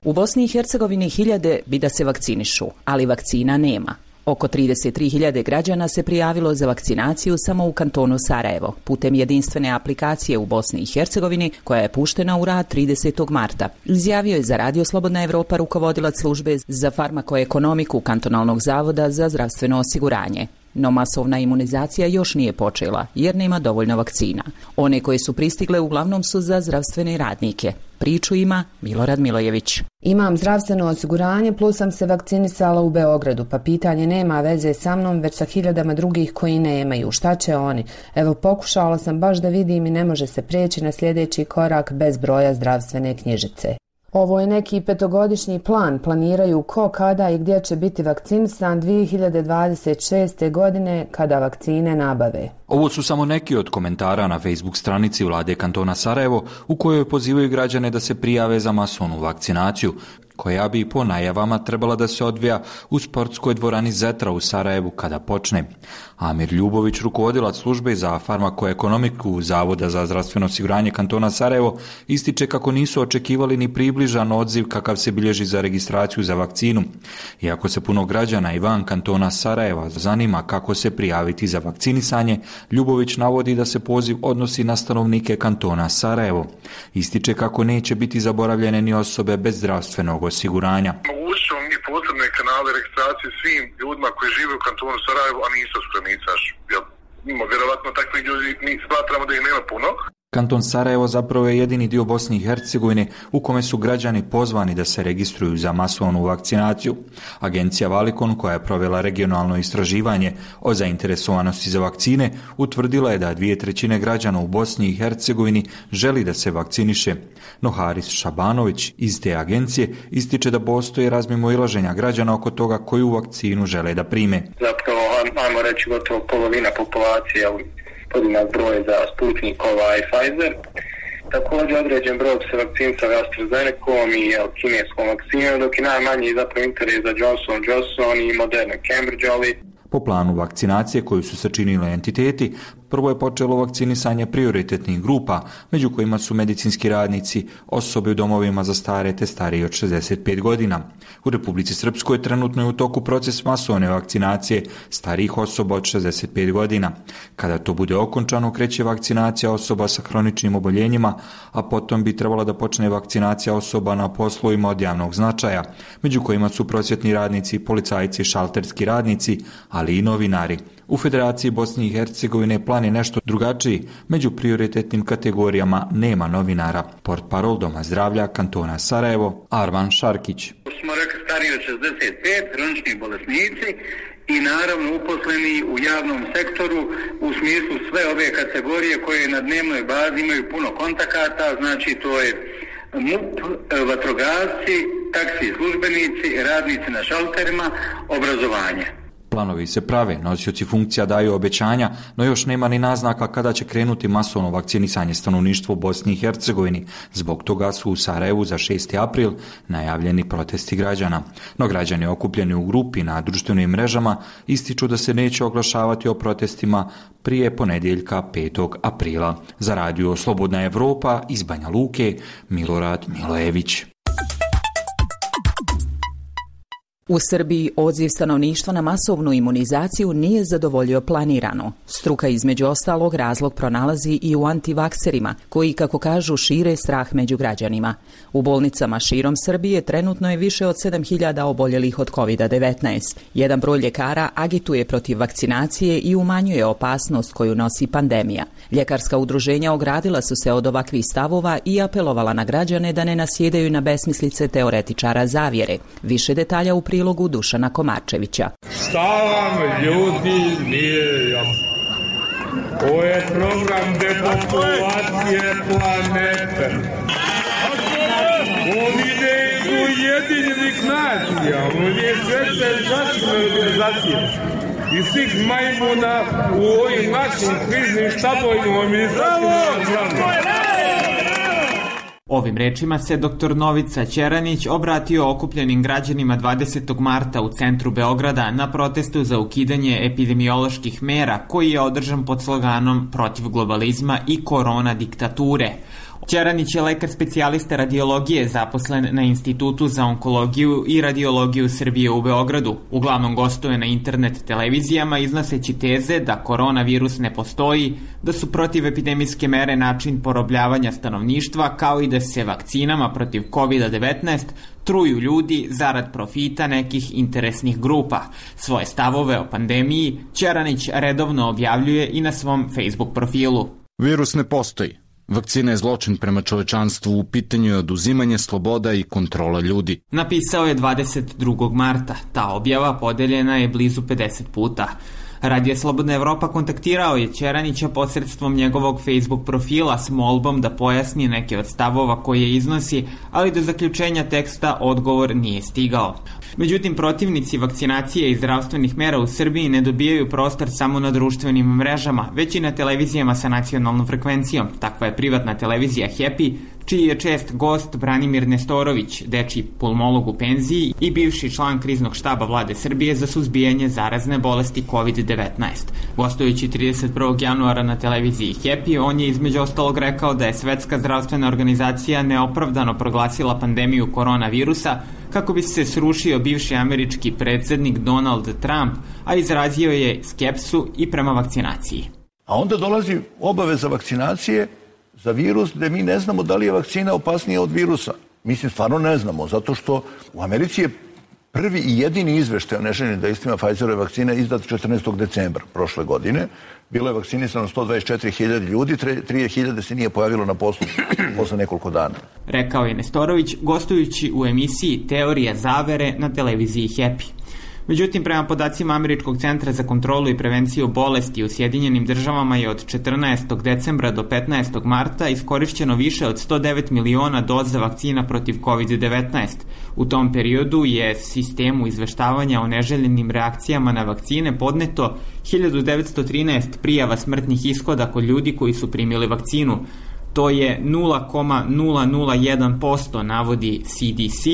U Bosni i Hercegovini hiljade bi da se vakcinišu, ali vakcina nema. Oko trideset tri hiljade građana se prijavilo za vakcinaciju samo u kantonu Sarajevo, putem jedinstvene aplikacije u Bosni i Hercegovini, koja je puštena u rad tridesetog marta. Izjavio je za Radio Slobodna Evropa rukovodilac službe za farmakoekonomiku Kantonalnog zavoda za zdravstveno osiguranje. No masovna imunizacija još nije počela, jer nema dovoljno vakcina. One koje su pristigle uglavnom su za zdravstvene radnike. Priču ima Milorad Milojević. Imam zdravstveno osiguranje, plus sam se vakcinisala u Beogradu, pa pitanje nema veze sa mnom, već sa hiljadama drugih koji nemaju. Šta će oni? Evo, pokušala sam baš da vidim i ne može se prijeći na sljedeći korak bez broja zdravstvene knjižice. Ovo je neki petogodišnji plan, planiraju ko, kada i gdje će biti vakcinisan dvije hiljade dvadeset šeste. godine kada vakcine nabave. Ovo su samo neki od komentara na Facebook stranici vlade kantona Sarajevo, u kojoj pozivaju građane da se prijave za masovnu vakcinaciju, koja bi po najavama trebala da se odvija u sportskoj dvorani Zetra u Sarajevu kada počne. Amir Ljubović, rukovodilac službe za farmakoekonomiku Zavoda za zdravstveno osiguranje kantona Sarajevo, ističe kako nisu očekivali ni približan odziv kakav se bilježi za registraciju za vakcinu. Iako se puno građana i van kantona Sarajeva zanima kako se prijaviti za vakcinisanje, Ljubović navodi da se poziv odnosi na stanovnike kantona Sarajevo. Ističe kako neće biti zaboravljene ni osobe bez zdravstvenog osiguranja. Mogući ćemo mi posebne kanale registracije svim ljudima koji žive u kantonu Sarajevo, a nisu spremicaš. Vjerovatno takvi ljudi mi smatramo da ih nema puno. Kanton Sarajevo zapravo je jedini dio Bosne i Hercegovine u kome su građani pozvani da se registruju za masovnu vakcinaciju. Agencija Valikon, koja je provela regionalno istraživanje o zainteresovanosti za vakcine, utvrdila je da dvije trećine građana u Bosni i Hercegovini želi da se vakciniše. No Haris Šabanović iz te agencije ističe da postoje razmimoilaženja građana oko toga koju vakcinu žele da prime. Zapravo, ajmo reći, gotovo polovina populacije podjednak broj za Sputnikova i Pfizer. Također određen broj se vakcinica AstraZenecom i kineskom vakcinom, dok je najmanji zapravo interes za Johnson and Johnson i Moderna Cambridge, ali po planu vakcinacije koju su sačinili entiteti, prvo je počelo vakcinisanje prioritetnih grupa, među kojima su medicinski radnici, osobe u domovima za stare te stariji od šezdeset pet godina. U Republici Srpskoj trenutno je u toku proces masovne vakcinacije starijih osoba od šezdeset pet godina. Kada to bude okončano, kreće vakcinacija osoba sa hroničnim oboljenjima, a potom bi trebala da počne vakcinacija osoba na poslovima od javnog značaja, među kojima su prosvjetni radnici, policajci, šalterski radnici, ali i novinari. U Federaciji Bosne i Hercegovine plan je nešto drugačiji. Među prioritetnim kategorijama nema novinara. Portparol Doma zdravlja kantona Sarajevo, Arman Šarkić. Smo rekli stariji od šezdeset pet, hronični bolesnici i naravno uposleni u javnom sektoru u smislu sve ove kategorije koje na dnevnoj bazi imaju puno kontakata, znači to je MUP, vatrogasci, taksi službenici, radnici na šalterima, obrazovanje. Planovi se prave, nosioci funkcija daju obećanja, no još nema ni naznaka kada će krenuti masovno vakcinisanje stanovništva u Bosni i Hercegovini. Zbog toga su u Sarajevu za šesti april najavljeni protesti građana. No građani okupljeni u grupi na društvenim mrežama ističu da se neće oglašavati o protestima prije ponedjeljka petog aprila. Za radio Slobodna Evropa iz Banja Luke, Milorad Milojević. U Srbiji odziv stanovništva na masovnu imunizaciju nije zadovoljio planirano. Struka između ostalog razlog pronalazi i u antivakserima, koji, kako kažu, šire strah među građanima. U bolnicama širom Srbije trenutno je više od sedam hiljada oboljelih od kovid devetnaest. Jedan broj ljekara agituje protiv vakcinacije i umanjuje opasnost koju nosi pandemija. Ljekarska udruženja ogradila su se od ovakvih stavova i apelovala na građane da ne nasjedaju na besmislice teoretičara zavjere. Više detalja u prilogu Dušana Komarčevića. Šta vam ljudi nije jasno? Ovo je program depopulacije planete. On ide iz Ujedinjenih nacija, on je svete zaštitne organizacije. I svih majmuna u ovim našim kriznim štabovima u ministarstvima. Ovim rečima se doktor Novica Ćeranić obratio okupljenim građanima dvadesetog marta u centru Beograda na protestu za ukidanje epidemioloških mera koji je održan pod sloganom protiv globalizma i korona diktature. Ćeranić je lekar specijalista radiologije zaposlen na Institutu za onkologiju i radiologiju Srbije u Beogradu. Uglavnom gostuje na internet televizijama iznoseći teze da koronavirus ne postoji, da su protivepidemijske mere način porobljavanja stanovništva, kao i da se vakcinama protiv kovid devetnaest truju ljudi zarad profita nekih interesnih grupa. Svoje stavove o pandemiji Ćeranić redovno objavljuje i na svom Facebook profilu. Virus ne postoji. Vakcina je zločin prema čovečanstvu, u pitanju je oduzimanje sloboda i kontrola ljudi. Napisao je dvadeset drugog marta. Ta objava podeljena je blizu pedeset puta. Radio Slobodna Evropa kontaktirao je Ćeranića posredstvom njegovog Facebook profila s molbom da pojasni neke od stavova koje iznosi, ali do zaključenja teksta odgovor nije stigao. Međutim, protivnici vakcinacije i zdravstvenih mera u Srbiji ne dobijaju prostor samo na društvenim mrežama, već i na televizijama sa nacionalnom frekvencijom. Takva je privatna televizija Happy, čiji je čest gost Branimir Nestorović, dečiji pulmolog u penziji i bivši član kriznog štaba vlade Srbije za suzbijanje zarazne bolesti kovid devetnaest. Gostujući trideset prvog januara na televiziji Happy, on je između ostalog rekao da je Svetska zdravstvena organizacija neopravdano proglasila pandemiju koronavirusa kako bi se srušio bivši američki predsjednik Donald Trump, a izrazio je skepsu i prema vakcinaciji. A onda dolazi obaveza vakcinacije za virus gdje mi ne znamo da li je vakcina opasnija od virusa. Mislim, stvarno ne znamo, zato što u Americi je prvi i jedini izveštaj o neželjenim dejstvima Pfizerove vakcine izdat četrnaestog decembra prošle godine. Bilo je vakcinisano sto dvadeset četiri hiljade ljudi, tri hiljade se nije pojavilo na poslu posle nekoliko dana. Rekao je Nestorović, gostujući u emisiji Teorija zavere na televiziji Happy. Međutim, prema podacima Američkog centra za kontrolu i prevenciju bolesti u Sjedinjenim državama je od četrnaestog decembra do petnaestog marta iskorišćeno više od sto devet miliona doza vakcina protiv kovid devetnaest. U tom periodu je sistemu izveštavanja o neželjenim reakcijama na vakcine podneto hiljadu devetsto trinaest prijava smrtnih ishoda kod ljudi koji su primili vakcinu. To je nula zarez nula nula jedan posto, navodi C D C.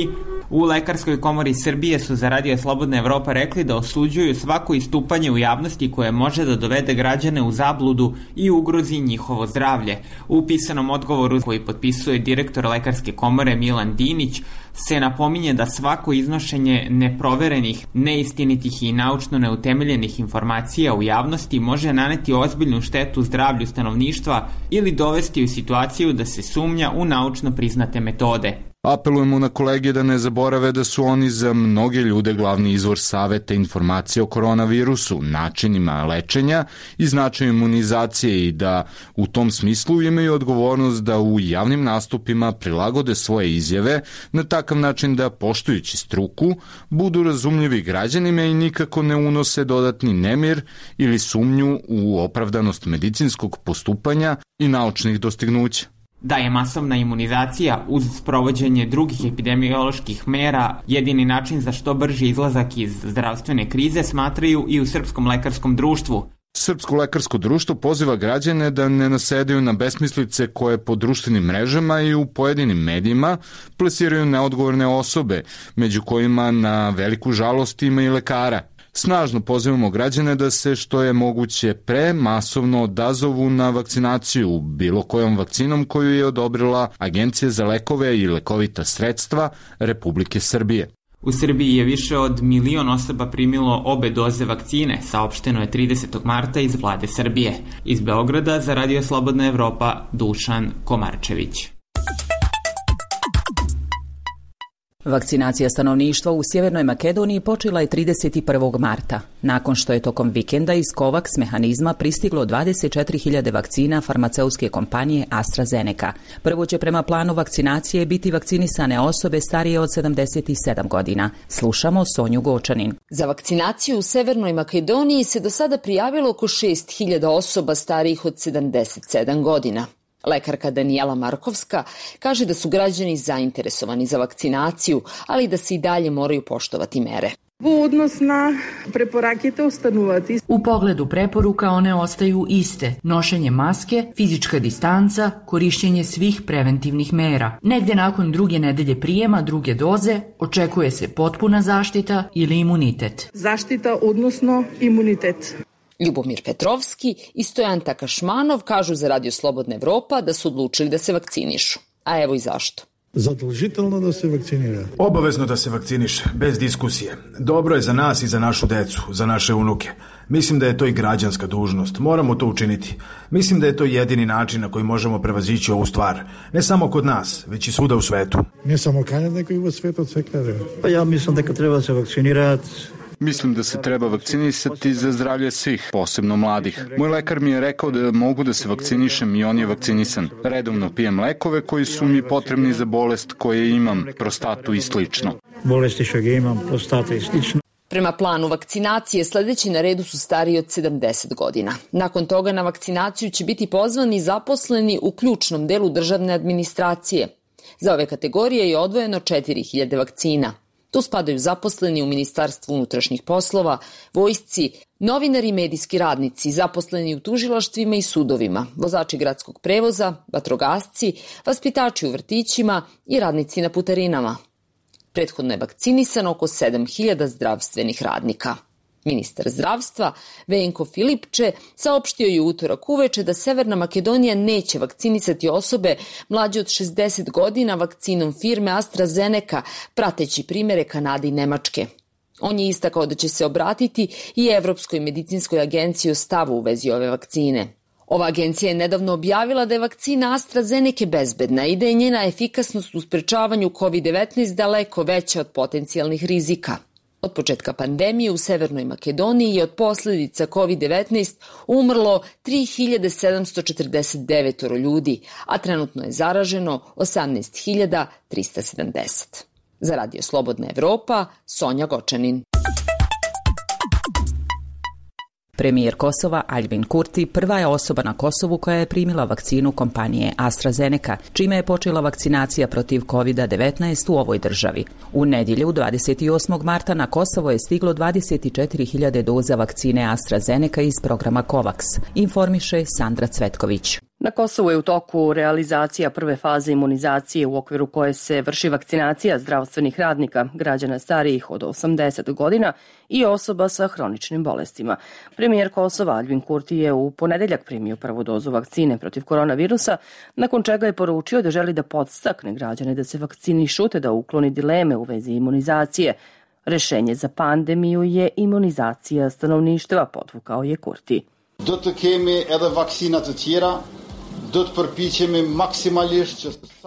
U Lekarskoj komori Srbije su za Radio Slobodna Evropa rekli da osuđuju svako istupanje u javnosti koje može da dovede građane u zabludu i ugrozi njihovo zdravlje. U pisanom odgovoru koji potpisuje direktor Lekarske komore Milan Dinić se napominje da svako iznošenje neproverenih, neistinitih i naučno neutemeljenih informacija u javnosti može naneti ozbiljnu štetu zdravlju stanovništva ili dovesti u situaciju da se sumnja u naučno priznate metode. Apelujemo na kolege da ne zaborave da su oni za mnoge ljude glavni izvor saveta informacije o koronavirusu, načinima lečenja i značaju imunizacije i da u tom smislu imaju odgovornost da u javnim nastupima prilagode svoje izjave na takav način da, poštujući struku, budu razumljivi građanima i nikako ne unose dodatni nemir ili sumnju u opravdanost medicinskog postupanja i naučnih dostignuća. Da je masovna imunizacija uz sprovođenje drugih epidemioloških mera jedini način za što brži izlazak iz zdravstvene krize, smatraju i u Srpskom lekarskom društvu. Srpsko lekarsko društvo poziva građane da ne nasedaju na besmislice koje po društvenim mrežama i u pojedinim medijima plasiraju neodgovorne osobe, među kojima na veliku žalost ima i lekara. Snažno pozivamo građane da se što je moguće pre masovno odazovu na vakcinaciju bilo kojom vakcinom koju je odobrila Agencija za lekove i lekovita sredstva Republike Srbije. U Srbiji je više od milion osoba primilo obe doze vakcine, saopšteno je tridesetog marta iz vlade Srbije. Iz Beograda za Radio Slobodna Evropa, Dušan Komarčević. Vakcinacija stanovništva u Sjevernoj Makedoniji počela je trideset prvog marta, nakon što je tokom vikenda iz COVAX mehanizma pristiglo dvadeset četiri hiljade vakcina farmaceutske kompanije AstraZeneca. Prvo će prema planu vakcinacije biti vakcinisane osobe starije od sedamdeset sedam godina. Slušamo Sonju Gočanin. Za vakcinaciju u Severnoj Makedoniji se do sada prijavilo oko šest hiljada osoba starijih od sedamdeset sedam godina. Lekarka Danijela Markovska kaže da su građani zainteresovani za vakcinaciju, ali da se i dalje moraju poštovati mere. U pogledu preporuka one ostaju iste. Nošenje maske, fizička distanca, korišćenje svih preventivnih mera. Negde nakon druge nedelje prijema druge doze očekuje se potpuna zaštita ili imunitet. Zaštita odnosno imunitet. Ljubomir Petrovski i Stojan Takašmanov kažu za Radio Slobodna Evropa da su odlučili da se vakcinišu. A evo i zašto. Zadolžitelno da se vakcinira. Obavezno da se vakciniše, bez diskusije. Dobro je za nas i za našu decu, za naše unuke. Mislim da je to i građanska dužnost. Moramo to učiniti. Mislim da je to jedini način na koji možemo prevazići ovu stvar. Ne samo kod nas, već i svuda u svetu. Ne samo Kanada, nego i u svetu od sve kraja. Pa ja mislim da treba se vakcinirati. Mislim da se treba vakcinisati za zdravlje svih, posebno mladih. Moj lekar mi je rekao da mogu da se vakcinišem i on je vakcinisan. Redovno pijem lekove koji su mi potrebni za bolest koje imam, prostatu i slično. Bolesti što ga imam, prostata i slično. Prema planu vakcinacije sledeći na redu su stariji od sedamdeset godina. Nakon toga na vakcinaciju će biti pozvani zaposleni u ključnom delu državne administracije. Za ove kategorije je odvojeno četiri hiljade vakcina. Tu spadaju zaposleni u Ministarstvu unutrašnjih poslova, vojsci, novinari i medijski radnici, zaposleni u tužilaštvima i sudovima, vozači gradskog prevoza, vatrogasci, vaspitači u vrtićima i radnici na putarinama. Prethodno je vakcinisano oko sedam hiljada zdravstvenih radnika. Ministar zdravstva Venko Filipče saopštio je u utorak uveče da Severna Makedonija neće vakcinisati osobe mlađe od šezdeset godina vakcinom firme AstraZeneca, prateći primere Kanade i Nemačke. On je istakao da će se obratiti i Evropskoj medicinskoj agenciji o stavu u vezi ove vakcine. Ova agencija je nedavno objavila da je vakcina AstraZeneca bezbedna i da je njena efikasnost u sprečavanju kovid devetnaest daleko veća od potencijalnih rizika. Od početka pandemije u Severnoj Makedoniji je od posljedica kovid devetnaest umrlo tri hiljade sedamsto četrdeset devet ljudi, a trenutno je zaraženo osamnaest hiljada trista sedamdeset. Za Radio Slobodna Evropa, Sonja Gočanin. Premijer Kosova Aljbin Kurti prva je osoba na Kosovu koja je primila vakcinu kompanije AstraZeneca, čime je počela vakcinacija protiv kovid devetnaest u ovoj državi. U nedjelju dvadeset osmog marta na Kosovo je stiglo dvadeset četiri hiljade doza vakcine AstraZeneca iz programa COVAX, informiše Sandra Cvetković. Na Kosovu je u toku realizacija prve faze imunizacije u okviru koje se vrši vakcinacija zdravstvenih radnika, građana starijih od osamdeset godina i osoba sa hroničnim bolestima. Premijer Kosova Aljbin Kurti je u ponedeljak primio prvu dozu vakcine protiv koronavirusa, nakon čega je poručio da želi da podstakne građane da se vakcinišu te da ukloni dileme u vezi imunizacije. Rešenje za pandemiju je imunizacija stanovništva, podvukao je Kurti. Do të kemi edhe vakcina të tjera.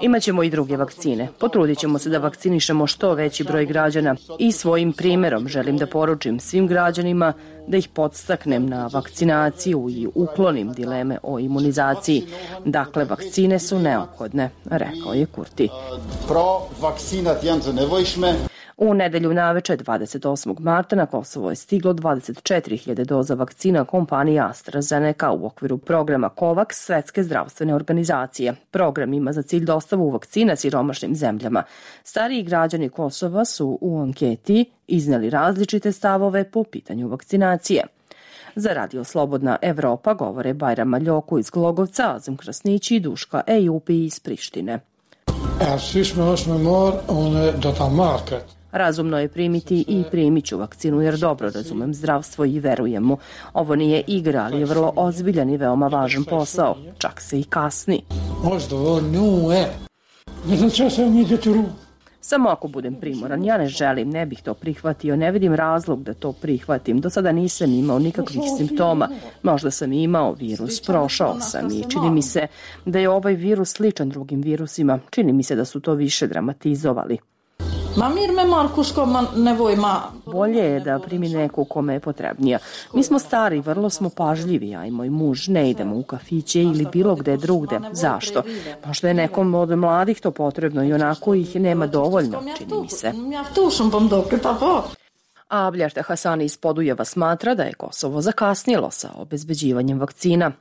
Imaćemo i druge vakcine. Potrudit ćemo se da vakcinišemo što veći broj građana i svojim primjerom želim da poručim svim građanima da ih podstaknem na vakcinaciju i uklonim dileme o imunizaciji. Dakle, vakcine su neophodne, rekao je Kurti. Pro vakcinat janë të nevojshme. U nedelju naveče dvadeset osmog marta na Kosovo je stiglo dvadeset četiri hiljade doza vakcina kompanije AstraZeneca u okviru programa COVAX Svetske zdravstvene organizacije. Program ima za cilj dostavu vakcina siromašnim zemljama. Stariji građani Kosova su u anketi izneli različite stavove po pitanju vakcinacije. Za Radio Slobodna Evropa govore Bajram Maljoku iz Glogovca, Azem Krasnići i Duška Ejupi iz Prištine. Razumno je primiti i primit ću vakcinu jer dobro razumem zdravstvo i verujem mu. Ovo nije igra, ali je vrlo ozbiljan i veoma važan posao. Čak se i kasni. Samo ako budem primoran, ja ne želim, ne bih to prihvatio, ne vidim razlog da to prihvatim. Do sada nisam imao nikakvih simptoma. Možda sam imao virus, prošao sam i čini mi se da je ovaj virus sličan drugim virusima. Čini mi se da su to više dramatizovali. Bolje je da primi neku kome je potrebnija. Mi smo stari, vrlo smo pažljivi, ja i moj muž ne idemo u kafiće ili bilo gde drugde. Zašto? Možda je nekom od mladih to potrebno i onako ih nema dovoljno, čini mi se. A Blješta Hasani iz Podujeva smatra da je Kosovo zakasnilo sa obezbeđivanjem vakcina.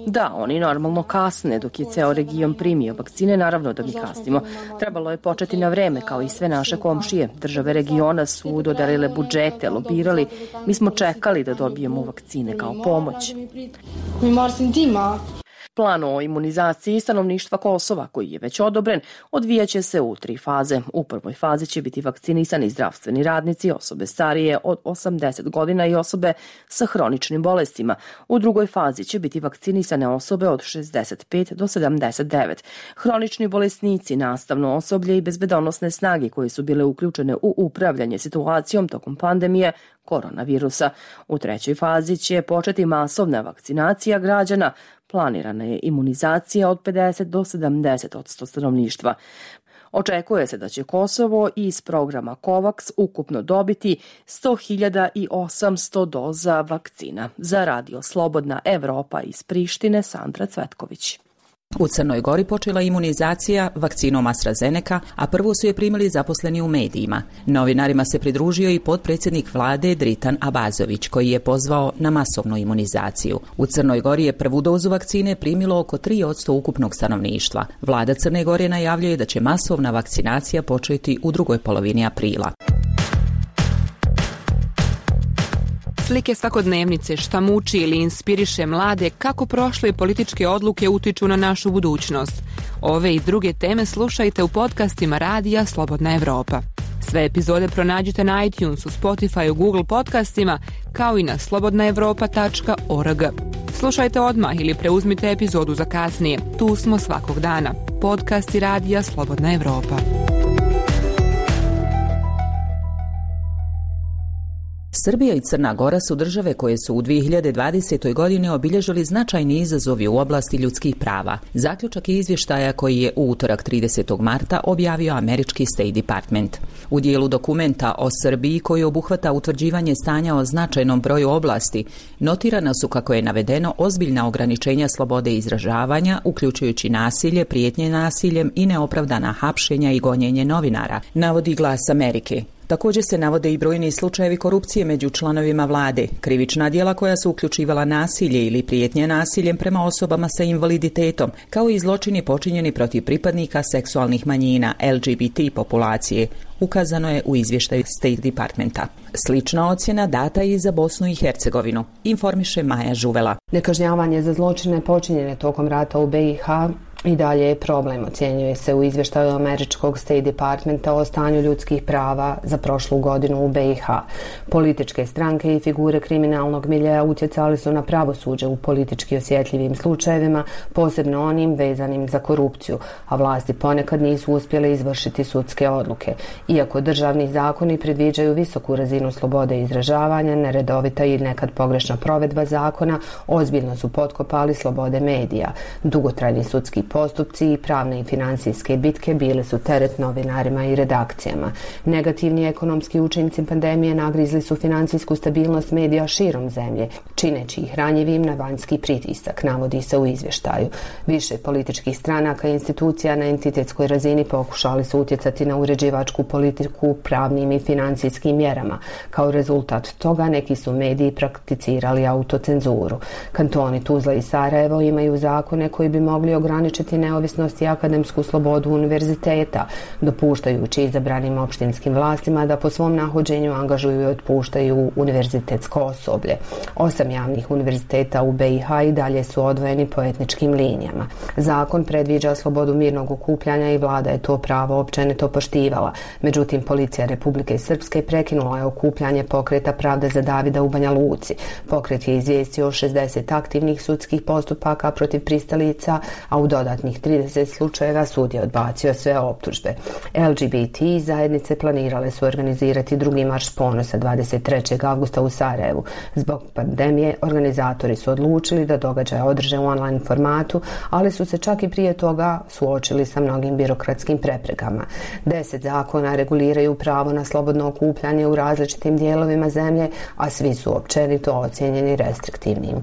Da, oni normalno kasne dok je ceo region primio vakcine, naravno da mi kasnimo. Trebalo je početi na vreme kao i sve naše komšije. Države regiona su dodarile budžete, lobirali. Mi smo čekali da dobijemo vakcine kao pomoć. Plan o imunizaciji stanovništva Kosova, koji je već odobren, odvijaće se u tri faze. U prvoj fazi će biti vakcinisani zdravstveni radnici, osobe starije od osamdeset godina i osobe sa hroničnim bolestima. U drugoj fazi će biti vakcinisane osobe od šezdeset pet do sedamdeset devet. Hronični bolesnici, nastavno osoblje i bezbedonosne snage koje su bile uključene u upravljanje situacijom tokom pandemije koronavirusa. U trećoj fazi će početi masovna vakcinacija građana. Planirana je imunizacija od pedeset do sedamdeset odsto stanovništva. Očekuje se da će Kosovo iz programa COVAX ukupno dobiti sto hiljada osamsto doza vakcina. Za Radio Slobodna Evropa iz Prištine, Sandra Cvetković. U Crnoj Gori počela imunizacija vakcinom AstraZeneca, a prvo su je primili zaposleni u medijima. Novinarima se pridružio i potpredsjednik vlade Dritan Abazović, koji je pozvao na masovnu imunizaciju. U Crnoj Gori je prvu dozu vakcine primilo oko tri posto ukupnog stanovništva. Vlada Crne Gore najavljuje da će masovna vakcinacija početi u drugoj polovini aprila. Slike svakodnevnice, šta muči ili inspiriše mlade, kako prošle političke odluke utiču na našu budućnost. Ove i druge teme slušajte u podcastima Radija Slobodna Evropa. Sve epizode pronađite na iTunesu, Spotify, Google podcastima, kao i na slobodna evropa tačka org. Slušajte odmah ili preuzmite epizodu za kasnije. Tu smo svakog dana. Podcasti Radija Slobodna Evropa. Srbija i Crna Gora su države koje su u dvije hiljade dvadesetoj. godini obilježili značajni izazovi u oblasti ljudskih prava. Zaključak je izvještaja koji je u utorak tridesetog marta objavio američki State Department. U dijelu dokumenta o Srbiji koji obuhvata utvrđivanje stanja o značajnom broju oblasti, notirana su, kako je navedeno, ozbiljna ograničenja slobode izražavanja, uključujući nasilje, prijetnje nasiljem i neopravdana hapšenja i gonjenje novinara, navodi Glas Amerike. Također se navode i brojni slučajevi korupcije među članovima vlade, krivična djela koja su uključivala nasilje ili prijetnje nasiljem prema osobama sa invaliditetom, kao i zločini počinjeni protiv pripadnika seksualnih manjina L G B T populacije, ukazano je u izvještaju State Departmenta. Slična ocjena data je i za Bosnu i Hercegovinu, informiše Maja Žuvela. Nekažnjavanje za zločine počinjene tokom rata u B i H i dalje je problem, ocjenjuje se u izvještaju američkog State Departmenta o stanju ljudskih prava za prošlu godinu u B i H. Političke stranke i figure kriminalnog miljeja utjecali su na pravosuđe u politički osjetljivim slučajevima, posebno onim vezanim za korupciju, a vlasti ponekad nisu uspjele izvršiti sudske odluke. Iako državni zakoni predviđaju visoku razinu slobode izražavanja, neredovita i nekad pogrešna provedba zakona ozbiljno su potkopali slobode medija. Dugotrajni sudski postupci i pravne i financijske bitke bile su teret novinarima i redakcijama. Negativni ekonomski učinci pandemije nagrizli su financijsku stabilnost medija širom zemlje, čineći ih ranjivim na vanjski pritisak, navodi se u izvještaju. Više političkih stranaka i institucija na entitetskoj razini pokušali su utjecati na uređivačku politiku pravnim i financijskim mjerama. Kao rezultat toga neki su mediji prakticirali autocenzuru. Kantoni Tuzla i Sarajevo imaju zakone koji bi mogli ograničiti neovisnost i akademsku slobodu univerziteta, dopuštajući izabranim opštinskim vlastima da po svom nahođenju angažuju i otpuštaju univerzitetsko osoblje. Osam javnih univerziteta u B i H i dalje su odvojeni po etničkim linijama. Zakon predviđa slobodu mirnog okupljanja i vlada je to pravo općenito poštivala. Međutim, policija Republike Srpske prekinula je okupljanje pokreta Pravda za Davida u Banja Luci. Pokret je izvijestio o šezdeset aktivnih sudskih postupaka protiv pristalica, a u dodatnih trideset slučajeva sud je odbacio sve optužbe. L G B T zajednice planirale su organizirati drugi marš ponosa dvadeset trećeg avgusta u Sarajevu. Zbog pandemije organizatori su odlučili da događaj održe u online formatu, ali su se čak i prije toga suočili sa mnogim birokratskim preprekama. Deset zakona reguliraju pravo na slobodno okupljanje u različitim dijelovima zemlje, a svi su općenito ocijenjeni restriktivnim.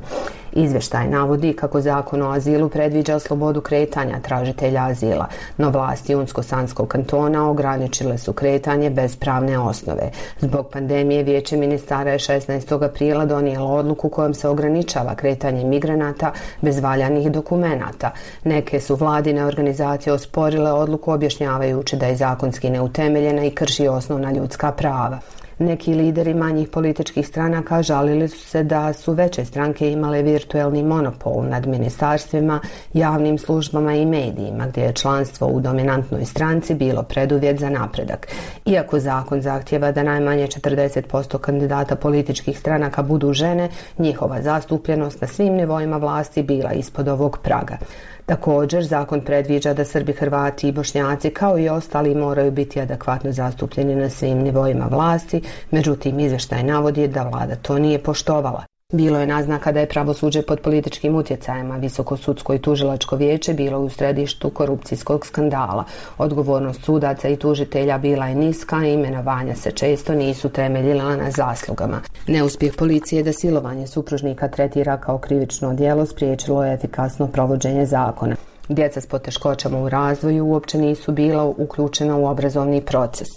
Izvještaj navodi kako zakon o azilu predviđa slobodu kretanja tražitelja azila, no vlasti Unsko-Sanskog kantona ograničile su kretanje bez pravne osnove. Zbog pandemije Vijeće ministara je šesnaestog aprila donijelo odluku kojom se ograničava kretanje migranata bez valjanih dokumenata. Neke su vladine organizacije osporile odluku objašnjavajući da je zakonski neutemeljena i krši osnovna ljudska prava. Neki lideri manjih političkih stranaka žalili su se da su veće stranke imale virtuelni monopol nad ministarstvima, javnim službama i medijima, gdje je članstvo u dominantnoj stranci bilo preduvjet za napredak. Iako zakon zahtjeva da najmanje četrdeset posto kandidata političkih stranaka budu žene, njihova zastupljenost na svim nivoima vlasti bila ispod ovog praga. Također, zakon predviđa da Srbi, Hrvati i Bošnjaci kao i ostali moraju biti adekvatno zastupljeni na svim nivoima vlasti, međutim izvještaj navodi da vlada to nije poštovala. Bilo je naznaka da je pravosuđe pod političkim utjecajem, a Visoko sudsko i tužilačko vijeće bilo u središtu korupcijskog skandala. Odgovornost sudaca i tužitelja bila je niska, a imenovanja se često nisu temeljila na zaslugama. Neuspjeh policije da silovanje supružnika tretira kao krivično djelo spriječilo je efikasno provođenje zakona. Djeca s poteškoćama u razvoju uopće nisu bila uključena u obrazovni proces.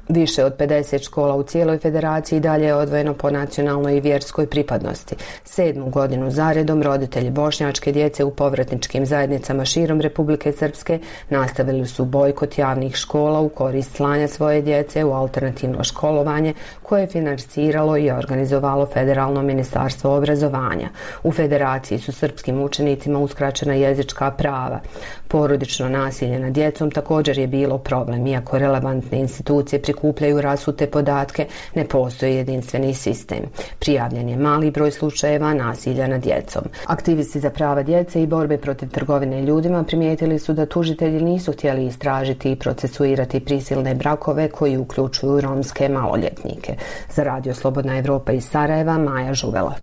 Više od pedeset škola u cijeloj federaciji dalje je odvojeno po nacionalnoj i vjerskoj pripadnosti. Sedmu godinu zaredom roditelji bošnjačke djece u povratničkim zajednicama širom Republike Srpske nastavili su bojkot javnih škola u korist slanja svoje djece u alternativno školovanje koje je financiralo i organizovalo Federalno ministarstvo obrazovanja. U federaciji su srpskim učenicima uskraćena jezička prava. Porodično nasilje nad djecom također je bilo problem, iako relevantne institucije prikupljaju rasute podatke, ne postoji jedinstveni sistem. Prijavljen je mali broj slučajeva nasilja nad djecom. Aktivisti za prava djece i borbe protiv trgovine ljudima primijetili su da tužitelji nisu htjeli istražiti i procesuirati prisilne brakove koji uključuju romske maloljetnike. Za Radio Slobodna Evropa iz Sarajeva, Maja Žuvela.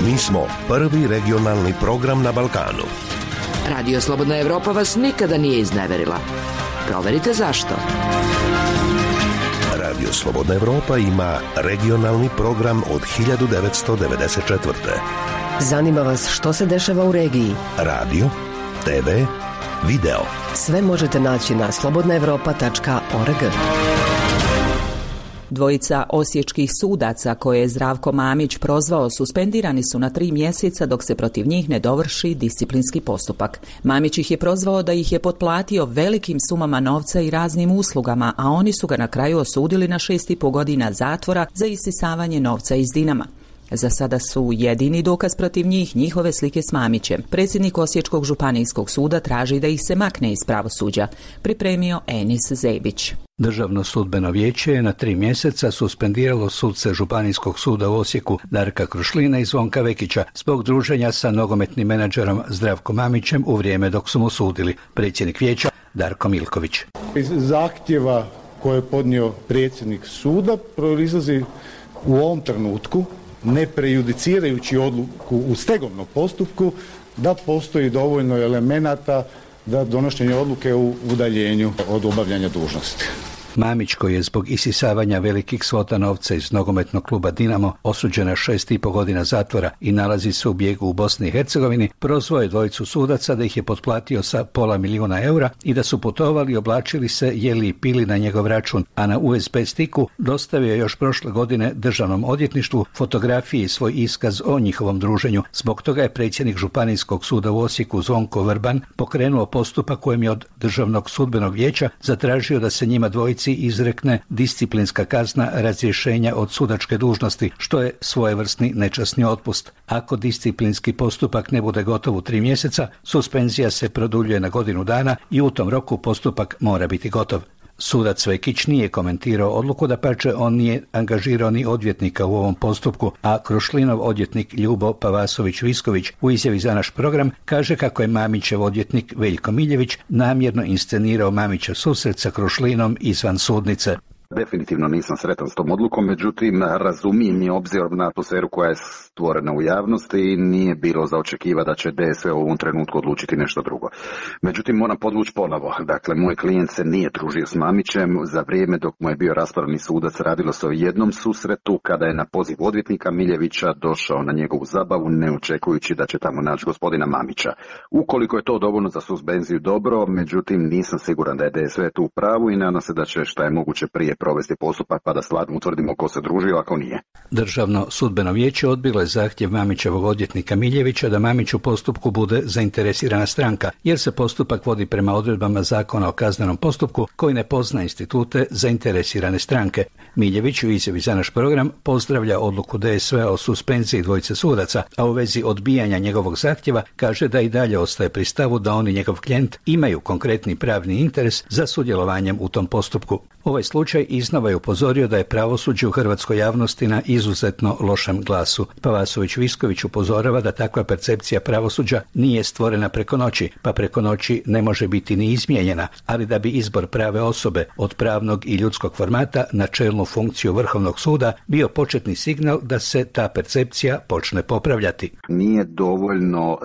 Mi smo prvi regionalni program na Balkanu. Radio Slobodna Evropa vas nikada nije izneverila. Proverite zašto. Radio Slobodna Evropa ima regionalni program od hiljadu devetsto devedeset četvrte. Zanima vas što se dešava u regiji? Radio, te ve, video. Sve možete naći na slobodna evropa tačka org. Dvojica osječkih sudaca koje je Zdravko Mamić prozvao suspendirani su na tri mjeseca dok se protiv njih ne dovrši disciplinski postupak. Mamić ih je prozvao da ih je potplatio velikim sumama novca i raznim uslugama, a oni su ga na kraju osudili na šest i po godina zatvora za isisavanje novca iz Dinama. Za sada su jedini dokaz protiv njih njihove slike s Mamićem. Predsjednik Osječkog županijskog suda traži da ih se makne iz pravosuđa. Pripremio Enis Zebić. Državno sudbeno vijeće je na tri mjeseca suspendiralo sudce Županijskog suda u Osijeku Darka Krušlina i Zvonka Vekića zbog druženja sa nogometnim menadžerom Zdravkom Mamićem u vrijeme dok su mu sudili. Predsjednik vijeća Darko Milković. Iz zahtjeva koje je podnio predsjednik suda proizlazi u ovom trenutku, ne prejudicirajući odluku u stegovnom postupku, da postoji dovoljno elemenata da donošenje odluke u udaljenju od obavljanja dužnosti. Mamić, koji je zbog isisavanja velikih svota novca iz nogometnog kluba Dinamo osuđen na šest i po godina zatvora i nalazi se u bijegu u Bosni i Hercegovini, prozvao je dvojicu sudaca da ih je potplatio sa pola milijuna eura i da su putovali, oblačili se, jeli i pili na njegov račun, a na U S B stiku dostavio je još prošle godine Državnom odvjetništvu fotografije i svoj iskaz o njihovom druženju. Zbog toga je predsjednik Županijskog suda u Osijeku Zvonko Vrban pokrenuo postupak kojem je od Državnog sudbenog vijeća zatražio da se njima dvojici izrekne disciplinska kazna razrješenja od sudačke dužnosti, što je svojevrsni nečasni otpust. Ako disciplinski postupak ne bude gotov u tri mjeseca, suspenzija se produljuje na godinu dana i u tom roku postupak mora biti gotov. Sudac Vekić nije komentirao odluku, dapače on nije angažirao ni odvjetnika u ovom postupku, a Krušlinov odvjetnik Ljubo Pavasović-Visković u izjavi za naš program kaže kako je Mamićev odvjetnik Veljko Miljević namjerno inscenirao Mamićev susret sa Krušlinom izvan sudnice. Definitivno nisam sretan s tom odlukom, međutim razumijem je obzirom na atmosferu koja je stvorena u javnosti i nije bilo za očekiva da će D S V u ovom trenutku odlučiti nešto drugo. Međutim, moram podvući ponovo. Dakle, moj klijent se nije družio s Mamićem. Za vrijeme dok mu je bio raspravni sudac radilo se o jednom susretu kada je na poziv odvjetnika Miljevića došao na njegovu zabavu ne očekujući da će tamo naći gospodina Mamića. Ukoliko je to dovoljno za suspenziju, dobro, međutim nisam siguran da je D S V tu u pravu i nadam se da će šta je moguće prije provesti postupak pa da stvarno utvrdimo ko se družio ako nije. Državno sudbeno vijeće odbilo je zahtjev Mamićevog odvjetnika Miljevića da Mamić u postupku bude zainteresirana stranka, jer se postupak vodi prema odredbama Zakona o kaznenom postupku koji ne pozna institute zainteresirane stranke. Miljević u izjavi za naš program pozdravlja odluku D S V o suspenziji dvojice sudaca, a u vezi odbijanja njegovog zahtjeva kaže da i dalje ostaje pri stavu da on i njegov klijent imaju konkretni pravni interes za sudjelovanjem u tom postupku. Ovaj slučaj iznova je upozorio da je pravosuđe u hrvatskoj javnosti na izuzetno lošem glasu. Pavasović-Visković upozorava da takva percepcija pravosuđa nije stvorena preko noći, pa preko noći ne može biti ni izmijenjena, ali da bi izbor prave osobe od pravnog i ljudskog formata na čelnu funkciju Vrhovnog suda bio početni signal da se ta percepcija počne popravljati. Nije dovoljno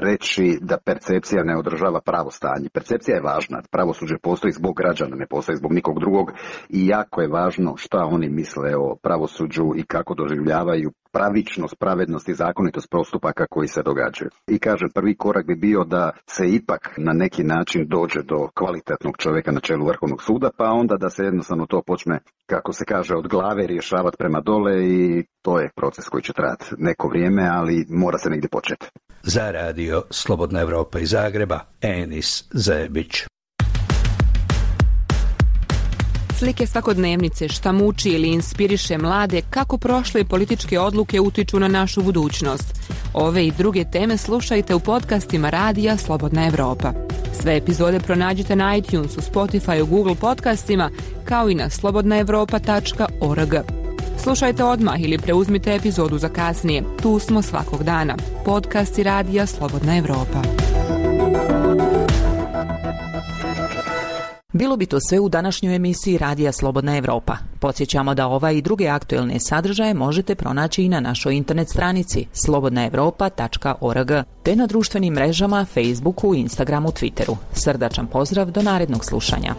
reći da percepcija ne održava pravo stanje. Percepcija je važna. Pravosuđe postoji zbog građana, ne postoji zbog nikog drugog i jako je važno šta oni misle o pravosuđu i kako doživljavaju pravičnost, pravednost i zakonitost postupaka koji se događaju. I kažem, prvi korak bi bio da se ipak na neki način dođe do kvalitetnog čovjeka na čelu Vrhovnog suda, pa onda da se jednostavno to počne, kako se kaže, od glave rješavati prema dole i to je proces koji će trajati neko vrijeme, ali mora se negdje početi. Za radio Slobodna Evropa iz Zagreba, Enis Zebić. Slike svakodnevnice šta muči ili inspiriše mlade kako prošle političke odluke utiču na našu budućnost. Ove i druge teme slušajte u podcastima radija Slobodna Evropa. Sve epizode pronađite na iTunesu, Spotify, Google podcastima kao i na slobodna evropa tačka org. Slušajte odmah ili preuzmite epizodu za kasnije. Tu smo svakog dana. Podcasti radija Slobodna Evropa. Bilo bi to sve u današnjoj emisiji Radija Slobodna Evropa. Podsjećamo da ova i druge aktuelne sadržaje možete pronaći i na našoj internet stranici slobodna evropa tačka org te na društvenim mrežama Facebooku, Instagramu, Twitteru. Srdačan pozdrav, do narednog slušanja.